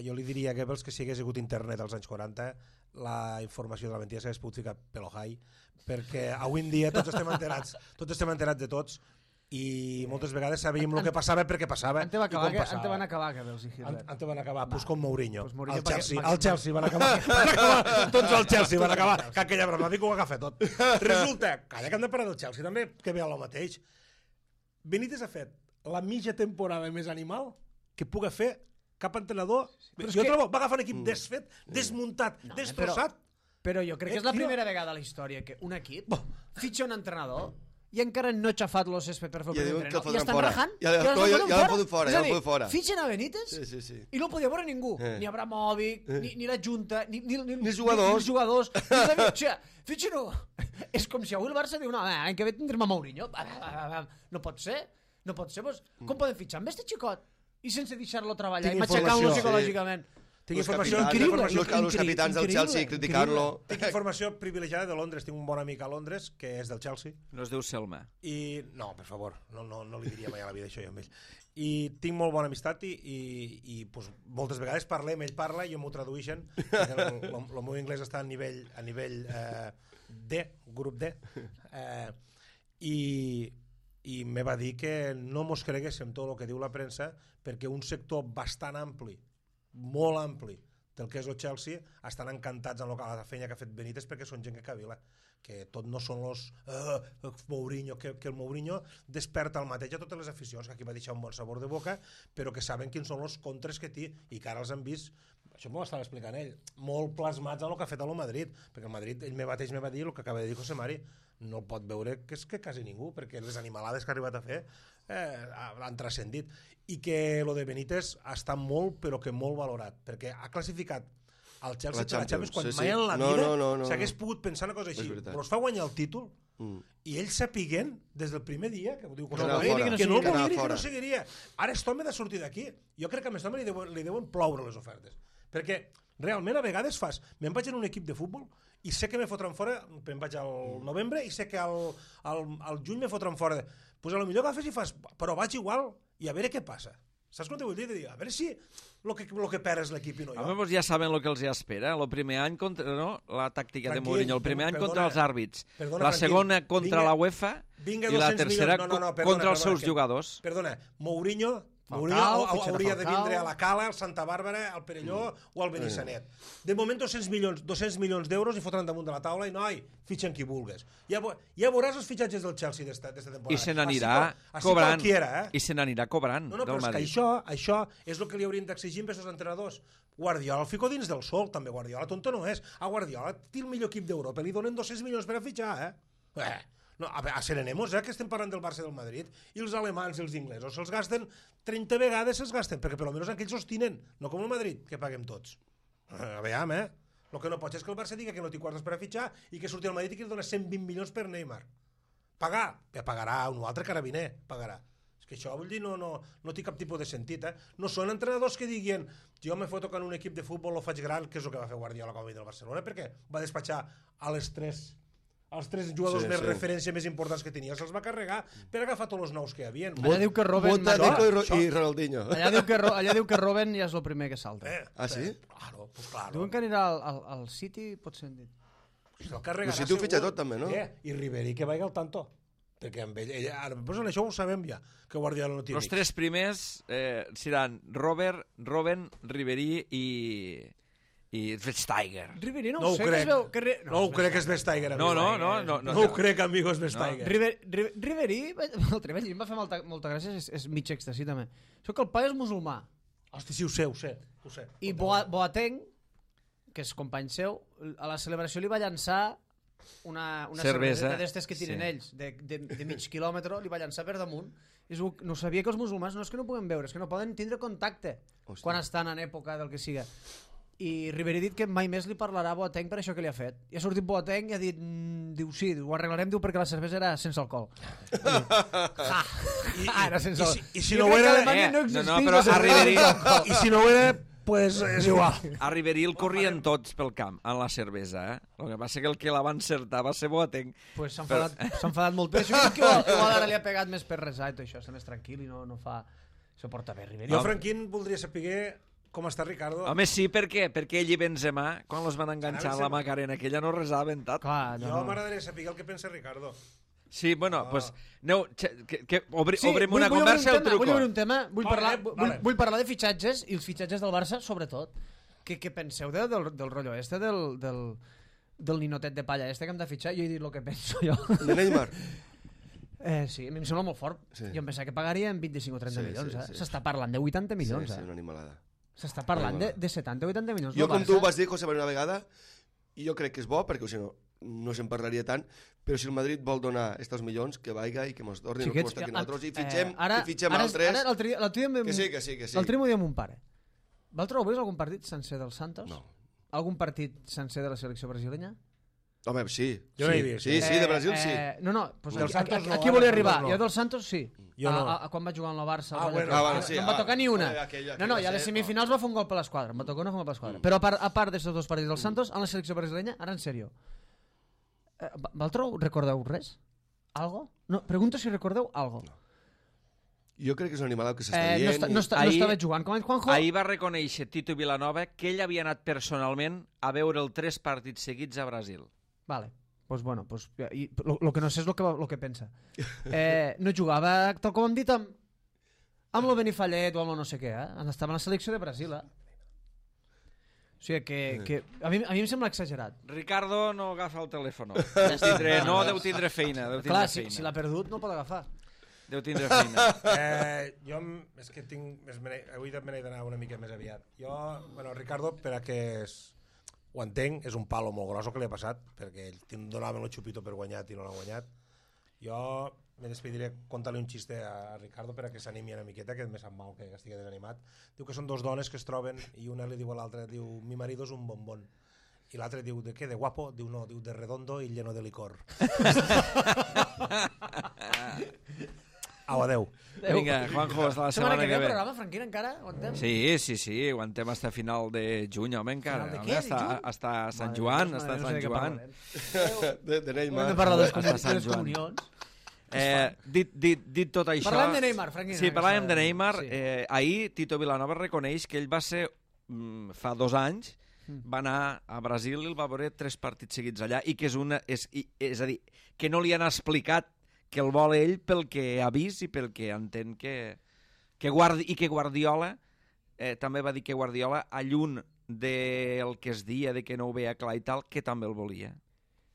Speaker 3: jo li diria a Goebbels que si hagués hagut internet als anys 40 la informació de la mentida s'hagués pogut ficar pel ojai, perquè avui en dia tots estem enterats de tots, i moltes vegades sabíem el que passava perquè passava i com passava.
Speaker 2: Ante van acabar Goebbels i Hitler.
Speaker 3: Ante van acabar, pues com Mourinho.
Speaker 2: Pues
Speaker 3: El Chelsea van acabar. Tots el Chelsea van acabar. Que aquella broma dic que ho agafa tot. Resulta, calla que han de parar del Chelsea també, que ve a lo mateix. Benítez ha fet la mitja temporada més animal que puga fer cap entrenador. Jo trobo, va agafar un equip desfet, desmuntat, destrossat.
Speaker 2: Però jo crec que és la primera vegada a la història que un equip fitxa un entrenador i encara no ha xafat el césped per fer el primer
Speaker 4: diuen que el
Speaker 2: entrenador. I
Speaker 4: fotran
Speaker 2: estan
Speaker 4: fora.
Speaker 2: rajant.
Speaker 4: Ja l'han fotut fora,
Speaker 2: És
Speaker 4: ja
Speaker 2: a dir,
Speaker 4: l'han fotut fora.
Speaker 2: fitxen a Benítez i no podia veure ningú. Ni Abramovic, ni la Junta, ni els jugadors. O sigui, fitxen-ho. És com si avui el Barça diu, no, l'any que ve tindrem a Mourinho. No pot ser. Com poden fitxar amb este xicot? I sense deixar-lo treballar i matxacant-lo psicològicament.
Speaker 3: Tinc informació
Speaker 2: increïble.
Speaker 4: Els capitans del Chelsea criticant-lo.
Speaker 3: Tinc informació privilegiada de Londres. Tinc un bon amic a Londres que és del Chelsea.
Speaker 1: No es diu Selma.
Speaker 3: No, per favor, no li diria mai a la vida això jo amb ell. I tinc molt bona amistat i pues, moltes vegades parlem, ell parla i jo m'ho tradueixen. El meu anglès està a nivell D, grup D. I me va dir que no mos creguéssim tot el que diu la premsa perquè un sector bastant ampli, molt ampli, del que és el Chelsea, estan encantats amb la feina que ha fet Benítez perquè són gent que cavila, que tot no són los Mourinho, que el Mourinho desperta el mateix a totes les aficions, que aquí va deixar un bon sabor de boca, però que saben quins són els contres que té i que ara els han vist, això m'ho estava explicant ell, molt plasmats en el que ha fet a lo Madrid, perquè el Madrid ell mateix me va dir el que acaba de dir José Mari, no pot veure que és que quasi ningú, perquè les animalades que ha arribat a fer han transcendit, i que lo de Benítez està molt, però que molt valorat, perquè ha classificat el Chelsea per la Champions quan mai en la vida s'hagués pogut pensar una cosa així, però es fa guanyar el títol i ells sapiguent des del primer dia que no seguiria. Ara aquest home ha de sortir d'aquí. Jo crec que a aquest home li deuen ploure les ofertes, perquè realment a vegades me'n vaig en un equip de futbol i sé que me fotran fora, me'n vaig al novembre i sé que al juny me fotran fora, doncs potser agafes i fas, però vaig igual i a veure què passa. Saps com te vull dir? A veure si el que perd és l'equip i no jo.
Speaker 1: Home, ja saben el que els espera. El primer any contra la tàctica de Mourinho, el primer any contra els àrbits, la segona contra la UEFA i la tercera contra els seus jugadors.
Speaker 3: Perdona, Mourinho hauria de vindre a la Cala, al Santa Bàrbara, al Perelló o al Benissanet. De moment 200 milions d'euros i fotran damunt de la taula i noi, fitxen qui vulgues. Ja veuràs els fitxatges del Chelsea d'esta temporada.
Speaker 1: I se n'anirà cobrant. I se n'anirà cobrant.
Speaker 3: No, però és que això és el que li haurien d'exigir amb aquests entrenadors. Guardiola el fico dins del sol, també. Guardiola tonto no és. A Guardiola té el millor equip d'Europa, li donen 200 milions per a fitxar, No, a Serenemos, que estem parlant del Barça del Madrid, i els alemans i els inglesos se'ls gasten 30 vegades, perquè per almenys aquells sostinen, no com el Madrid, que paguem tots. A veure, el que no pot és que el Barça digui que no té quartos per a fitxar i que surti el Madrid i que li dona 120 milions per Neymar. Pagar? Pagarà un altre carabiner, pagarà. És que això, vull dir, no té cap tipus de sentit, No són entrenadors que diguin jo me foto en un equip de futbol, lo faig gran, que és el que va fer Guardiola com a del Barcelona, perquè va despatxar els tres jugadors més referència més importants que tenia, se'ls va carregar per agafar tots els nous que hi havia.
Speaker 2: Allà diu que Robben...
Speaker 4: i Ronaldinho.
Speaker 2: Allà diu que Robben ja és el primer que salta.
Speaker 4: Sí?
Speaker 3: Claro.
Speaker 2: Diuen que anirà al City, pot ser dit.
Speaker 4: El City ho fitxa tot, també, no?
Speaker 3: I Ribéry que vagi al tanto. Perquè amb ell... Això ho sabem ja, que Guardiola no té
Speaker 1: Els tres primers seran Robben, Ribéry i Vestager.
Speaker 2: Ribéry
Speaker 3: no ho crec. No ho crec que és Vestager.
Speaker 1: No
Speaker 3: ho crec, amigo, és Vestager.
Speaker 2: Ribéry, l'altre dia em va fer molta gràcia, és mig èxtasi també. Això que el pare és musulmà.
Speaker 3: Hosti, sí, ho sé.
Speaker 2: I Boateng, que és company seu, a la celebració li va llançar una cervesa d'estes que tiren ells, de mig quilòmetre, li va llançar per damunt. No sabia que els musulmans no és que no puguen veure, és que no poden tindre contacte quan estan en època del que siga. I Ribéry ha dit que mai més li parlarà a Boateng per això que li ha fet. I ha sortit Boateng i ha dit, diu, sí, ho arreglarem, diu, perquè la cervesa era sense alcohol. Era sense alcohol.
Speaker 3: I si no ho era... I si no ho era, pues és igual.
Speaker 1: A Ribéry el corrien tots pel camp, en la cervesa, El que passa que el que la va encertar va ser Boateng.
Speaker 2: Pues s'ha enfadat molt. Però això igual ara li ha pegat més per resar i tot això, està més tranquil i no fa... Això porta bé, Ribéry.
Speaker 3: Jo, Franquín, voldria saber com està Ricardo.
Speaker 1: Home, sí, per què? Perquè ell i Benzema, quan els van enganxar a la Macarena, aquella no resaven tant.
Speaker 3: Jo m'agradaria saber el que pensa Ricardo.
Speaker 1: Sí, bueno, doncs... Obrem una conversa al truco.
Speaker 2: Vull obrir un tema. Vull parlar de fitxatges, i els fitxatges del Barça, sobretot. Què penseu del rotllo este, del ninotet de palla este que hem de fitxar? Jo he dit el que penso jo.
Speaker 4: De Neymar?
Speaker 2: Sí, a mi em sembla molt fort. Jo em pensava que pagarien 25 o 30 milions. S'està parlant de 80 milions.
Speaker 4: Sí, una animalada.
Speaker 2: S'està parlant de 70 o 80 milions.
Speaker 4: Jo, com tu vas dir, José, una vegada, i jo crec que és bo, perquè si no, no se'n parlaria tant, però si el Madrid vol donar aquests milions, que vaiga i que mos tornin el que mos toquen nosaltres, i fitxem altres... Que sí.
Speaker 2: L'altre dia m'ho diem un pare. Vosaltres heu vist algun partit sencer del Santos?
Speaker 4: No.
Speaker 2: Algun partit sencer de la selecció brasilenya?
Speaker 4: Home, sí.
Speaker 3: Jo no he vist.
Speaker 4: Sí, de Brasil sí.
Speaker 2: Pues
Speaker 3: del Santos no,
Speaker 2: aquí volia arribar.
Speaker 3: no.
Speaker 2: Jo del Santos sí.
Speaker 3: Jo no.
Speaker 2: Quan vaig jugar amb la Barça.
Speaker 4: Sí,
Speaker 2: no em va tocar ni una. No, i a les semifinals va fer un gol per l'esquadra. Em va tocar una gol per l'esquadra. Però a part d'aquests dos partits del Santos, en la selecció brasileña, ara en sèrio, vosaltres recordeu res? Algo? No, pregunto si recordeu algo.
Speaker 4: Jo crec que és un animal que s'està dient.
Speaker 2: No estava jugant. Juanjo?
Speaker 1: Ahir va reconèixer Tito Vilanova que ell havia anat personalment a veure el 3 partits seguits a Brasil.
Speaker 2: Vale. Pues bueno, pues, lo que no sé és lo que pensa. No jugava, tal com hem dit, amb lo Benifallet o amb lo no sé què, estava en la selecció de Brasil, O sigui que a mi em sembla exagerat.
Speaker 1: Ricardo no agafa el telèfon. Deu tindre feina.
Speaker 2: Clar, si l'ha perdut no el pot agafar.
Speaker 1: Deu tindre feina.
Speaker 3: Jo és que avui me n'he d'anar una mica més aviat. Ricardo, per a que ho entenc, és un palo molt gros el que li ha passat, perquè ell donava el xupito per guanyat i no l'ha guanyat. Jo me despediré contant-li un xiste a Ricardo per a que s'animi una miqueta, que me sap mal que estigui desanimat. Diu que són dos dones que es troben i una li diu a l'altra, diu, mi marido es un bombón. I l'altre diu, ¿de qué? ¿De guapo? Diu, no, diu, de redondo y lleno de licor. Au, adeu.
Speaker 1: Vinga, Juanjo, hasta la setmana que ve.
Speaker 2: Programa, Franquina, encara? Aguantem?
Speaker 1: Sí, aguantem hasta final de juny, home, encara.
Speaker 2: Final de què?
Speaker 1: Hasta Sant Joan, hasta Sant Joan.
Speaker 4: De Neymar.
Speaker 2: Hem de parlar de les comunions.
Speaker 1: Dit tot això...
Speaker 2: Parlem de Neymar, Franquina.
Speaker 1: Sí, parlàvem de Neymar. Ahir Tito Vilanova reconeix que ell va ser, fa 2 anys, va anar a Brasil i el va veure 3 partits seguits allà i que és a dir, que no li han explicat que el vol ell pel que ha vist i pel que entén que Guardiola també va dir que Guardiola, alluny del que es dia de que no ho veia clar i tal, que també el volia.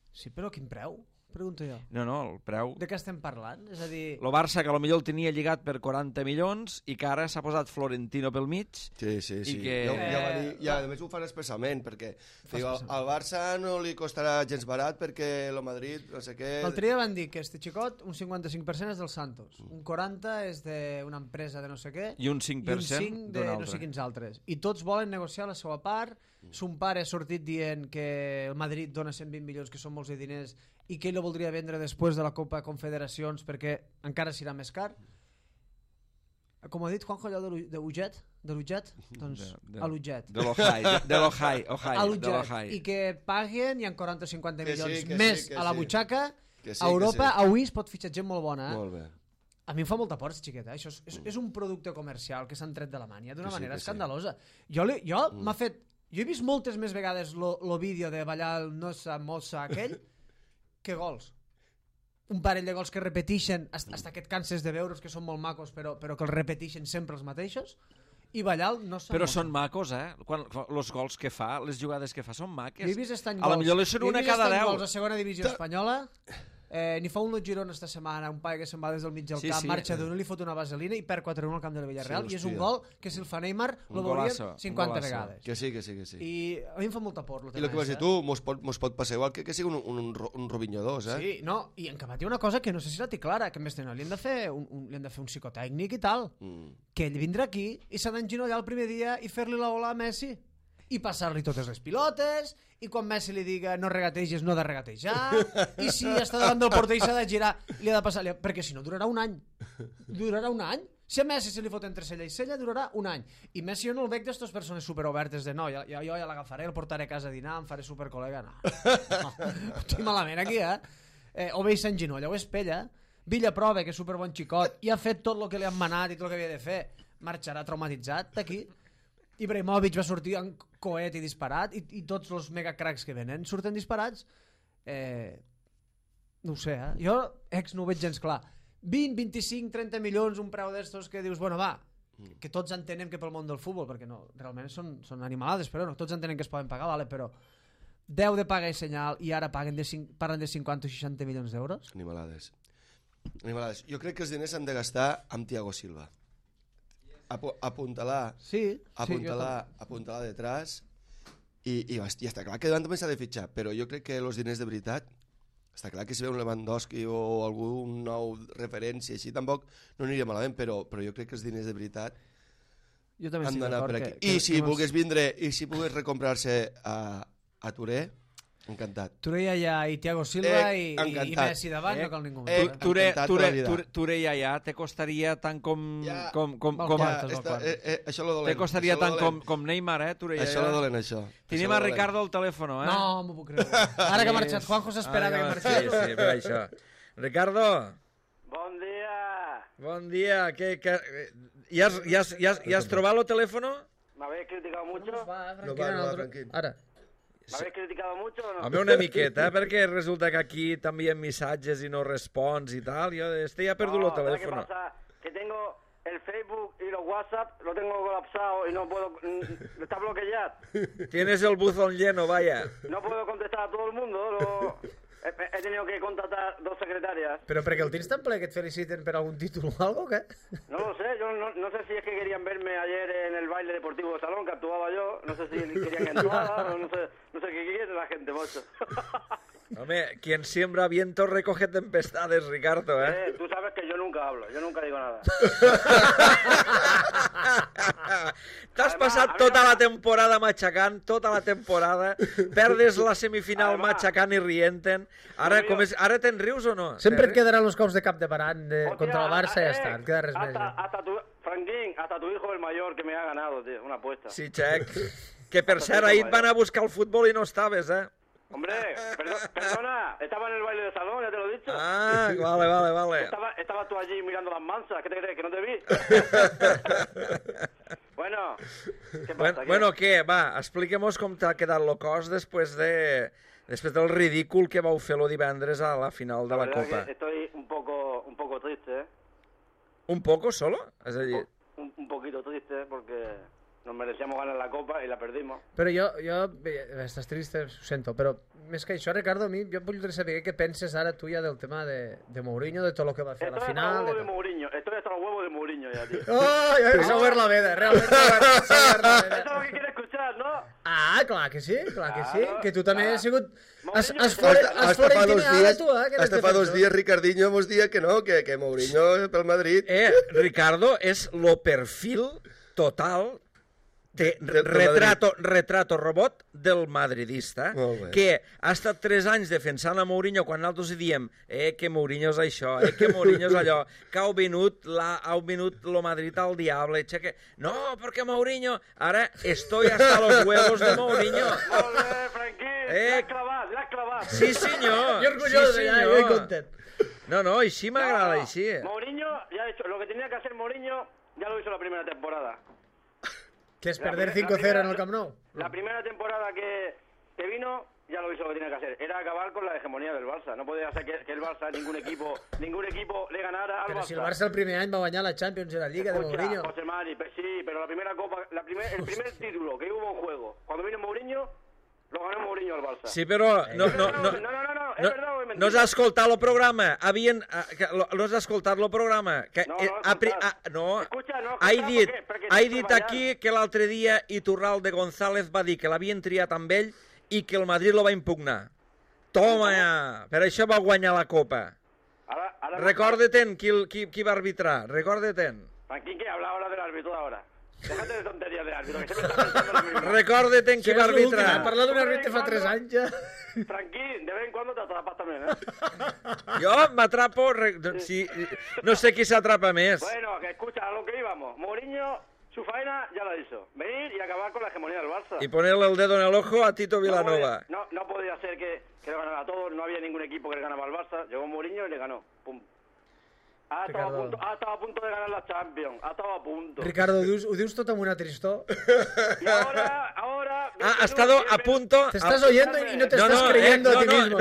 Speaker 2: Sí, però quin preu? Pregunto jo.
Speaker 1: No, el preu...
Speaker 2: De què estem parlant? És a dir...
Speaker 1: El Barça, que potser el tenia lligat per 40 milions i que ara s'ha posat Florentino pel mig.
Speaker 4: Sí.
Speaker 1: I que...
Speaker 4: Ja va dir, i a més ho fan expressament, perquè al Barça no li costarà gens barat perquè el Madrid, no sé què...
Speaker 2: L'altre dia van dir que este xicot, un 55% és del Santos, un 40% és d'una empresa de no sé què,
Speaker 1: i un 5%
Speaker 2: de no sé quins altres. I tots volen negociar la seva part. Son pare ha sortit dient que el Madrid dona 120 milions, que són molts de diners, i que ell ho voldria vendre després de la Copa Confederacions perquè encara serà més car. Com ha dit Juanjo, allò de l'Uget? Doncs a l'Uget.
Speaker 1: De l'Ojai.
Speaker 2: I que paguen, hi ha 40 o 50 milions més a la butxaca. A Europa avui es pot fitxar gent molt bona.
Speaker 4: Molt bé.
Speaker 2: A mi em fa molta por, xiqueta. Això és un producte comercial que s'han tret de la mània d'una manera escandalosa. Jo m'ha fet... Jo he vist moltes més vegades el vídeo de ballar el nosa mossa aquell que gols. Un parell de gols que repeteixen hasta que et canses de veure's, que són molt macos, però que els repeteixen sempre els mateixos, i ballar el nosa mossa.
Speaker 1: Però són macos, els gols que fa, les jugades que fa són maques.
Speaker 2: Jo he vist estany
Speaker 1: gols. A la millor li són una cada 10.
Speaker 2: Gols a segona divisió espanyola. N'hi fa un lot Girona esta setmana, un paio que se'n va des del mig del camp, marxa d'un, li fot una vaselina i perd 4-1 al camp de la Villarreal, i és un gol que si el fa Neymar el veurien 50 vegades.
Speaker 4: Que sí.
Speaker 2: I a mi em fa molta por.
Speaker 4: I el que vas dir tu, mos pot passar igual que sigui un Robinho 2,
Speaker 2: Sí, no, i en Camat hi ha una cosa que no sé si la té clara, que més li han de fer un psicotècnic i tal, que ell vindrà aquí i s'ha d'enginollar el primer dia i fer-li la ola a Messi i passar-li totes les pilotes, i quan Messi li diga no regateges, no ha de regatejar, i si està davant del porter i s'ha de girar, li ha de passar, perquè si no durarà un any. Si a Messi se li fot entre cella i cella, durarà un any. I Messi jo no el veig d'estes persones superobertes de no, jo ja l'agafaré, el portaré a casa a dinar, em faré supercol·lega. No. Estic malament aquí, o bé s'enginolla, o es pella. Villa prova que és superbon xicot i ha fet tot el que li han manat i tot el que havia de fer. Marxarà traumatitzat d'aquí. Ibrahimovic va sortir en coet i disparat, i tots els megacracs que venen surten disparats. No ho sé, jo no ho veig gens clar. 20, 25, 30 milions, un preu d'estos que dius, bueno, va, que tots entenem que pel món del futbol, perquè no, realment són animalades, però no, tots entenem que es poden pagar, vale, però 10 de paga i senyal i ara parlen de 50 o 60 milions d'euros?
Speaker 4: Animalades. Jo crec que els diners s'han de gastar amb Thiago Silva. Apuntalar detrás I està clar que davant també s'ha de fitxar, però jo crec que els diners de veritat, està clar que si ve un Lewandowski o algun nou referència així, tampoc no aniria malament, però jo crec que els diners de veritat han d'anar per aquí. I si volgués vindre, i si volgués recomprar-se a Touré, encantat.
Speaker 2: Touré ja i Thiago Silva i Messi davant, no cal ningú més.
Speaker 1: Touré ja te costaria tant com...
Speaker 4: Això lo dolent.
Speaker 1: Te costaria tant com Neymar, Touré ja.
Speaker 4: Això lo dolent, això.
Speaker 1: Tenim a Ricardo al telèfon,
Speaker 2: No, m'ho puc creure. Ara que ha marxat Juanjo s'esperava que marxés.
Speaker 1: Sí, per això. Ricardo.
Speaker 5: Bon dia.
Speaker 1: Bon dia. ¿Ya has trobado el teléfono?
Speaker 5: ¿Me habéis criticado mucho?
Speaker 4: No va, tranquil.
Speaker 2: Ara.
Speaker 5: ¿Me habéis criticado mucho o no?
Speaker 1: Home, una miqueta, perquè resulta que aquí t'envien missatges i no respons i tal. Jo ja he perdut el teléfono.
Speaker 5: ¿Qué pasa? Que tengo el Facebook y los WhatsApp, lo tengo colapsado y no puedo... Está bloqueado.
Speaker 1: Tienes el buzón lleno, vaya.
Speaker 5: No puedo contestar a todo el mundo. He tenido que contratar 2 secretarias.
Speaker 2: Però perquè el tens tan ple que et feliciten per algun títol o algo, o què?
Speaker 5: No lo sé, yo no sé si es que querían verme ayer en el baile deportivo de salón que actuaba yo, no sé si querían entrada, o no sé qué quiere la gente, mocho.
Speaker 1: Home, quien siembra viento recoge tempestades, Ricardo,
Speaker 5: Tú sabes que yo nunca hablo, yo nunca digo nada.
Speaker 1: T'has passat tota la temporada matxacant, tota la temporada, perdes la semifinal matxacant i rienten. Ara te'n rius o no?
Speaker 2: Sempre et quedaran els cops de cap de parant contra el Barça i ja està, et queda res més.
Speaker 5: Franquín, hasta tu hijo el mayor que me ha ganado, tío, una apuesta.
Speaker 1: Sí, Xec. Que per cert, ahir et van a buscar el futbol i no estaves,
Speaker 5: Hombre, perdona, estaba en el baile de salón, ya te lo he dicho.
Speaker 1: Ah, vale.
Speaker 5: Estabas tú allí mirando las mansas, ¿qué te crees, que no te vi? Bueno, ¿qué pasa?
Speaker 1: Bueno, què? Va, expliquem-nos com t'ha quedat el cos després del ridícul que vau fer el divendres a la final de la Copa.
Speaker 5: Estoy un poco triste,
Speaker 1: ¿Un poco solo? És a dir...
Speaker 5: Un poquito triste, porque... Nos merecíamos ganar la Copa y la perdimos.
Speaker 2: Però jo... Estàs triste, ho sento, però més que això, Ricardo, a mi jo voldria saber què penses ara tu ja del tema de Mourinho, de tot el que va fer a la final...
Speaker 5: Estoy hasta los huevos de Mourinho ya, tío.
Speaker 2: Oh, s'ha obert la veda, realment s'ha obert la veda.
Speaker 5: Eso es lo que quiere escuchar, ¿no?
Speaker 2: Ah, clar que sí,
Speaker 5: Claro.
Speaker 2: que tu també has sigut...
Speaker 4: Hasta fa 2 dies Ricardinho mos dia que no, que Mourinho pel Madrid...
Speaker 1: Ricardo és lo perfil total de retrato robot del madridista, que ha estat 3 anys defensant a Mourinho quan nosaltres diem que Mourinho és això, que Mourinho és allò, que ha vingut lo Madrid al diable, que... No, perquè Mourinho... Ara estoy hasta los huevos de Mourinho.
Speaker 5: Molt bé, Franquín, l'has clavat.
Speaker 1: Sí, senyor.
Speaker 2: Jo orgulloso, ja content.
Speaker 1: No, així m'agrada, així.
Speaker 5: Mourinho ya ha hecho lo que tenía que hacer Mourinho, ya lo hizo la primera temporada.
Speaker 2: ¿Qué es perder 5-0 en el Camp Nou?
Speaker 5: La primera temporada que vino, ya lo hizo lo que tenía que hacer. Era acabar con la hegemonía del Barça. No podía ser que el Barça, ningún equipo le ganara al
Speaker 2: Pero
Speaker 5: Barça.
Speaker 2: si el Barça el primer any va guanyar la Champions i la Liga de Mourinho.
Speaker 5: José Mari, sí, pero la primera Copa, el primer título que hubo en juego, cuando vino Mourinho, lo ganó Mourinho al Barça.
Speaker 1: Sí, però... No,
Speaker 5: es verdad o es mentira.
Speaker 1: No has escoltat el programa. No has escoltat el programa. No. He dit aquí que l'altre dia Iturralde González va dir que l'havien triat amb ell i que el Madrid lo va impugnar. Toma ja! Per això va guanyar la Copa. Recorda-te'n qui va arbitrar. Recorda-te'n.
Speaker 5: Franquín, que habla ahora del árbitro ahora. Déjate de tonterías del árbitro, que siempre está pensando lo mismo.
Speaker 1: Recorda-te'n qui va arbitrar.
Speaker 2: Parlar d'un àrbitre fa 3 anys ja.
Speaker 5: Franquín, de vez en cuando te atrapas también,
Speaker 1: Jo m'atrapo... No sé qui s'atrapa més.
Speaker 5: Bueno, que escucha, a lo que íbamos. Mourinho, su faena ya la hizo. Venir y acabar con la hegemonía del Barça.
Speaker 1: Y ponerle el dedo en el ojo a Tito Vilanova.
Speaker 5: No podía ser que le ganara a todos, no había ningún equipo que le ganaba al Barça. Llegó Mourinho y le ganó. Pum. Ha estado a punto de ganar la Champions. Ha estado a punto.
Speaker 2: Ricardo, ho dius tot amb una tristor?
Speaker 5: Y ahora...
Speaker 1: Ha estado a punto...
Speaker 2: Te estás oyendo y no te estás creyendo a ti mismo.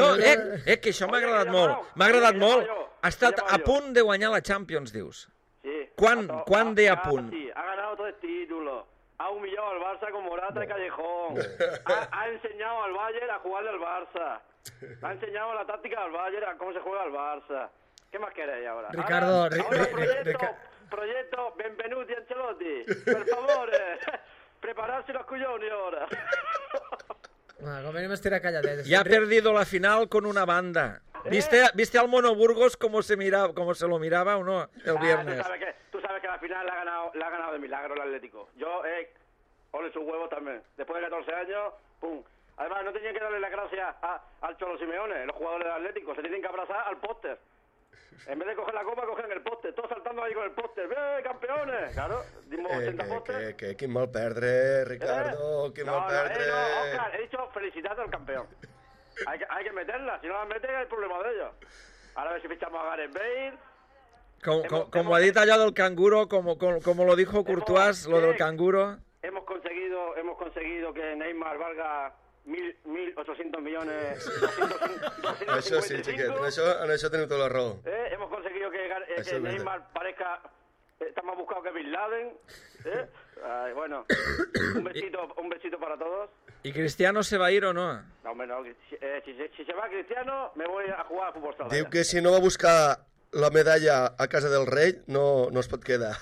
Speaker 1: Que això m'ha agradat molt. M'ha agradat molt. Ha estat a punt de guanyar la Champions, dius.
Speaker 5: Sí.
Speaker 1: Quan de a punt?
Speaker 5: Ha ganado 3 títulos. Ha humillado al Barça con Morata y Callejón. Ha enseñado al Bayern a jugarle al Barça. Ha enseñado la táctica al Bayern, a cómo se juega al Barça. ¿Qué más queréis ahora?
Speaker 2: Ricardo,
Speaker 5: proyecto Benvenuti Ancelotti. Per favore, prepararsi los coglioni ora.
Speaker 2: Com venim a estirar calladetes.
Speaker 1: Ya ha perdido la final con una banda. ¿Viste al Mono Burgos cómo se lo miraba o no el viernes?
Speaker 5: Tú sabes que la final la ha ganado de milagro el Atlético. Yo, ole sus huevos también. Después de 14 años, pum. Además, no tenían que darle las gracias al Cholo Simeone, los jugadores del Atlético. Se tienen que abrazar al póster. En vez de coger la copa, cogen el póster. Todos saltando ahí con el póster. ¡Bien, campeones! Claro, dimos 80 póster.
Speaker 4: Quin mal perdre, Ricardo, quin mal perdre.
Speaker 5: No, Oscar, he dicho felicidades al campeón. Hay que meterla, si no la meten hay problema de ellos. Ahora a ver si fichamos a Gareth Bale.
Speaker 1: Como ha dicho allá del canguro, como lo dijo Courtois, lo del canguro.
Speaker 5: Hemos conseguido que Neymar valga 1.800 millones. 255.
Speaker 4: Això sí, xiquet, en això teniu tota la raó.
Speaker 5: Hemos conseguido que Neymar parezca está más buscado que Bin Laden. Bueno, un besito para todos.
Speaker 1: ¿Y Cristiano se va a ir o no?
Speaker 5: No, hombre, no. Si se va Cristiano, me voy a jugar a fútbol sala.
Speaker 4: Diu que si no va a buscar la medalla a casa del rei, no es pot quedar.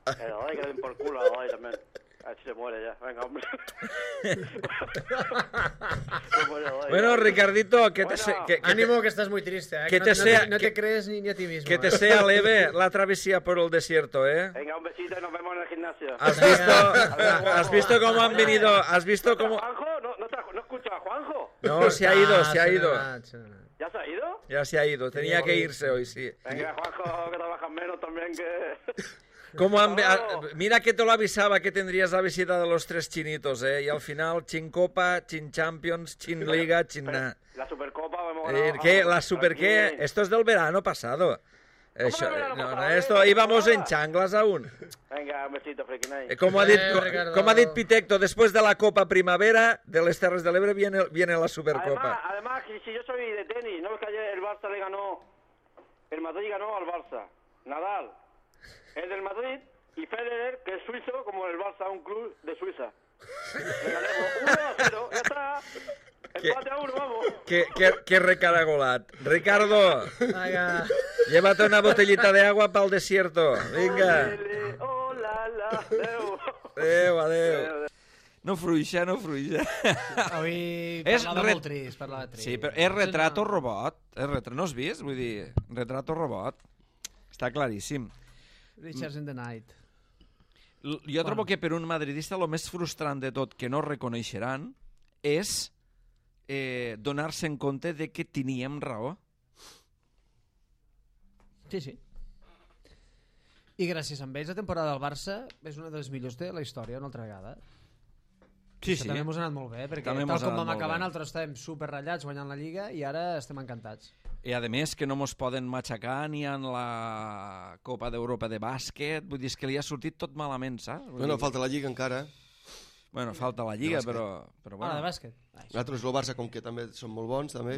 Speaker 5: Que le den por culo a también. A ver si se muere ya. Venga, hombre.
Speaker 1: Bueno, Ricardito,
Speaker 2: ánimo que estás muy triste, ¿eh? No te crees ni a ti mismo.
Speaker 1: Que te sea leve la travesía por el desierto, ¿eh?
Speaker 5: Venga, un besito y nos vemos en el gimnasio.
Speaker 1: ¿Has visto cómo han venido? ¿Has visto cómo...?
Speaker 5: ¿Juanjo? ¿No escucho a Juanjo?
Speaker 1: No, se ha ido.
Speaker 5: ¿Ya se ha ido?
Speaker 1: Ya se ha ido. Tenía que irse hoy, sí.
Speaker 5: Venga, Juanjo, que trabajas menos también que...
Speaker 1: Mira que te lo avisaba que tendrías la visita de los 3 chinitos, ¿eh? Y al final, chin Copa, chin Champions, chin Liga, chin nada.
Speaker 5: La Supercopa
Speaker 1: ¿Qué? ¿La Super qué? Esto es del verano pasado. Esto íbamos en chanclas aún.
Speaker 5: Venga, un besito, friki night.
Speaker 1: Como ha dit Pitecto, después de la Copa Primavera de les Terres de l'Ebre viene la Supercopa.
Speaker 5: Además, si yo soy de tenis, ¿no ves que ayer el Barça el Madrid ganó al Barça? Nadal es del Madrid y Federer, que es suizo, como el Barça, un club de Suiza. Le ganemos 1-0, ya está. Empate a 1, vamos.
Speaker 1: Qué recaragolat. Ricardo, llévate una botellita de agua para el desierto. Venga. Adeu. No fruixa.
Speaker 2: Avui parlava molt trist,
Speaker 1: Sí, però és retrato robot. No has vist? Vull dir, retrato robot. Està claríssim.
Speaker 2: Richards in the Night.
Speaker 1: Jo trobo que per un madridista el més frustrant de tot que no reconeixeran és donar-se en compte de que teníem raó.
Speaker 2: Sí. I gràcies a ells la temporada del Barça és una de les millors de la història una altra vegada.
Speaker 1: Sí.
Speaker 2: També ens ha anat molt bé, perquè tal com vam acabar nosaltres estàvem superratllats guanyant la Lliga i ara estem encantats.
Speaker 1: I a més que no mos poden matxacar ni en la Copa d'Europa de bàsquet, vull dir, que li ha sortit tot malament, saps?
Speaker 4: Bueno, falta la Lliga encara.
Speaker 1: Bueno, falta la Lliga, però bueno.
Speaker 2: De bàsquet.
Speaker 4: Nosaltres, el Barça, com que també són molt bons, també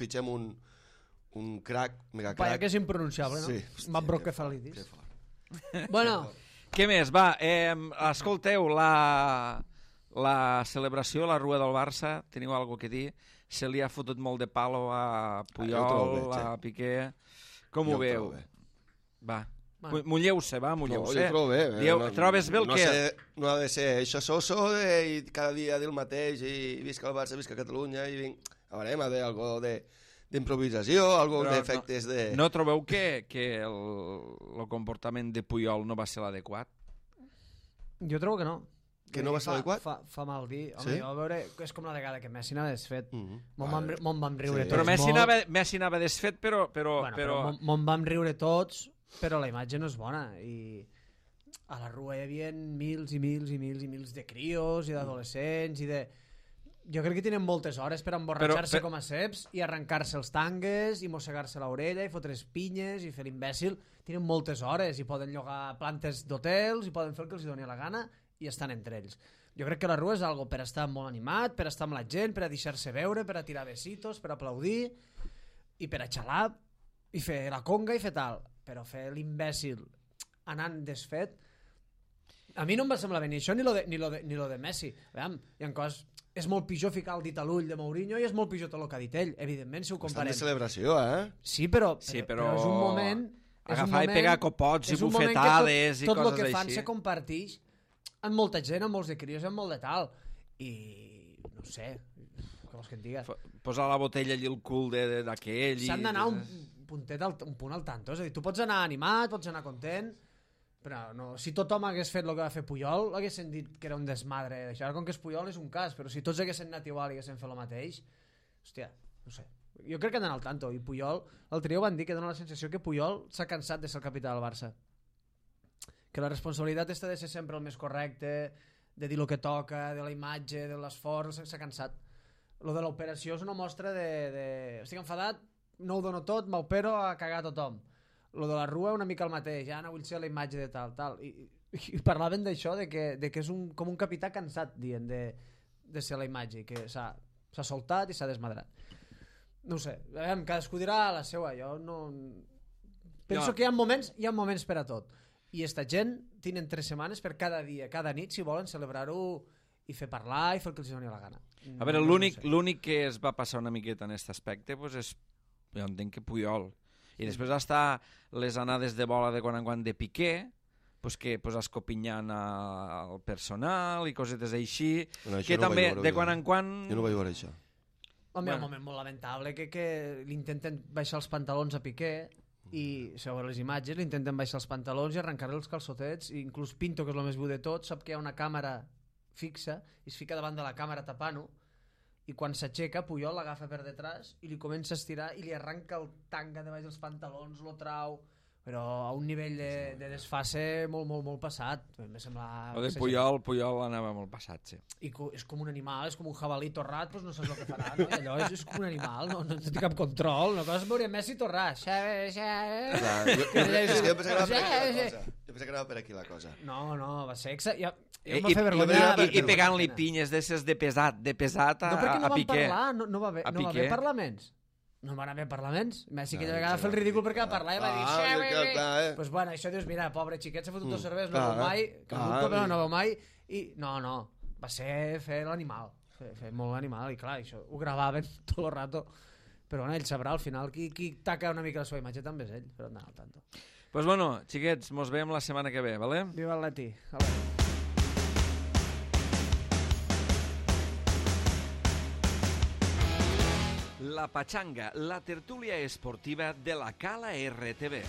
Speaker 4: fitxem un crac, megacrac.
Speaker 2: Paia que és impronunciable, no?
Speaker 4: Sí.
Speaker 2: Mabrocefalidis. Bueno.
Speaker 1: Què més? Va, escolteu, la celebració, la rua del Barça, teniu alguna cosa a dir? Se li ha fotut molt de palo a Puyol, a Piqué. Com ho veu? Va, mulleu-se, va, mulleu-se.
Speaker 4: Jo trobo bé.
Speaker 1: Trobes bé el que...
Speaker 4: No ha de ser això soso i cada dia dir el mateix i visca el Barça, visca Catalunya i vinc... A veure, ha d'haver algo d'improvisació, algo d'efectes de...
Speaker 1: No trobeu que el comportament de Puyol no va ser l'adequat?
Speaker 2: Jo trobo que no.
Speaker 4: Que no va ser adequat?
Speaker 2: Fa mal dir. Home, a veure, és com la vegada que Messi anava desfet. Me'n vam riure tots.
Speaker 1: Però Messi anava desfet, però...
Speaker 2: Me'n vam riure tots, però la imatge no és bona. I a la rua hi havia mils i mils de crios i d'adolescents i de... Jo crec que tenen moltes hores per emborratxar-se com a ceps i arrencar-se els tangues i mossegar-se l'orella i fotre's pinyes i fer l'imbècil. Tenen moltes hores i poden llogar plantes d'hotels i poden fer el que els doni la gana i estan entre ells. Jo crec que la rua és algo per estar molt animat, per estar amb la gent, per a deixar-se veure, per a tirar besitos, per a aplaudir i per a xalar i fer la conga i fer tal. Però fer l'imbècil anant desfet a mi no em va semblar bé ni això ni lo de Messi. Veiem, hi ha coses... És molt pitjor ficar el dit a l'ull de Mourinho i és molt pitjor tot el que ha dit ell, evidentment, si ho comparem.
Speaker 4: Estan de celebració, eh?
Speaker 2: Sí, però és un moment...
Speaker 1: Agafar i pegar copots i bufetades i coses així.
Speaker 2: Tot el que fan se comparteix amb molta gent, amb molts de crios, amb molt de tal. I no sé, què vols que et diga?
Speaker 1: Posar la botella allí al cul d'aquell...
Speaker 2: S'han d'anar un punt al tanto. És a dir, tu pots anar animat, pots anar content, però no, si tothom hagués fet el que va fer Puyol, haguessin dit que era un desmadre. Això ara, com que és Puyol, és un cas, però si tots haguessin anat igual i haguessin fet el mateix, hòstia, no sé. Jo crec que han d'anar al tanto. I Puyol, l'altre dia ho van dir, que dona la sensació que Puyol s'ha cansat de ser el capità del Barça. Que la responsabilitat està de ser sempre el més correcte, de dir el que toca, de la imatge, de l'esforç, s'ha cansat. Lo de l'operació és una mostra de... Estic enfadat, no ho dono tot, m'opero a cagar tothom. Lo de la Rua una mica el mateix, ja no vull ser la imatge de tal. I parlaven d'això, de que és com un capità cansat, dient, de ser la imatge, que s'ha soltat i s'ha desmadrat. No ho sé, cadascú dirà la seva, jo no... Penso que hi ha moments per a tot. I esta gent tenen 3 setmanes per cada dia, cada nit, si volen celebrar-ho i fer parlar i fer el que els doni la gana.
Speaker 1: A veure, l'únic que es va passar una miqueta en aquest aspecte és, jo entenc que Puyol. I després està les anades de bola de quan en quan de Piqué, escopinyant al personal i cosetes així, que també de quan en quan...
Speaker 4: Jo no vaig veure això.
Speaker 2: Home, un moment molt lamentable que li intenten baixar els pantalons a Piqué i, segons les imatges, li intenten baixar els pantalons i arrencar-li els calçotets, i inclús Pinto, que és el més viu de tot, sap que hi ha una càmera fixa i es fica davant de la càmera tapant-ho, i quan s'aixeca Puyol l'agafa per detrás i li comença a estirar i li arranca el tanga de baix dels pantalons, lo trau, però a un nivell de desfase molt passat. Me sembla...
Speaker 1: O de Puyol anava molt passat, sí.
Speaker 2: I és com un animal, és com un jabalí torrat, doncs no saps el que farà, no? I allò és com un animal, no té cap control, no coses veure Messi torrar.
Speaker 4: Jo pensava que anava per aquí la cosa.
Speaker 2: No, va ser... I
Speaker 1: pegant-li pinyes d'esses de pesat a Piqué.
Speaker 2: No va haver parlaments. No van haver parlaments. Messi aquella vegada va fer el ridícul perquè va parlar i va dir doncs bueno, això dius, mira, pobre xiquet, s'ha fotut 2 cerveses, no veu mai, que no veu mai, i no, va ser fer l'animal, fer molt animal, i clar, això ho gravaven tot el rato, però bueno, ell sabrà al final qui taca una mica la seva imatge també és ell, però no, al tanto.
Speaker 1: Pues bueno, xiquets, mos veiem la setmana que ve, vale?
Speaker 2: Viva el Leti.
Speaker 1: La Pachanga, la tertúlia esportiva de la Cala RTV.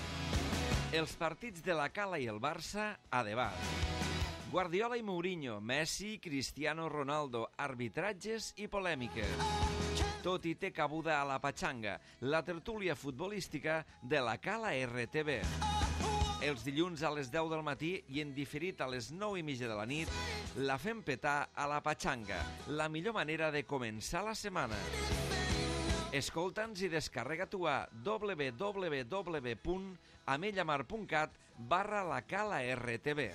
Speaker 1: Els partits de la Cala i el Barça a debat. Guardiola i Mourinho, Messi, Cristiano Ronaldo, arbitratges i polèmiques. Tot hi té cabuda a la Pachanga, la tertúlia futbolística de la Cala RTV. Els dilluns a les 10 del matí i en diferit a les 9:30 de la nit, la fem petar a la Pachanga, la millor manera de començar la setmana. Escolta'ns i descarrega-t'ho a www.amellamar.cat/la Cala RTV.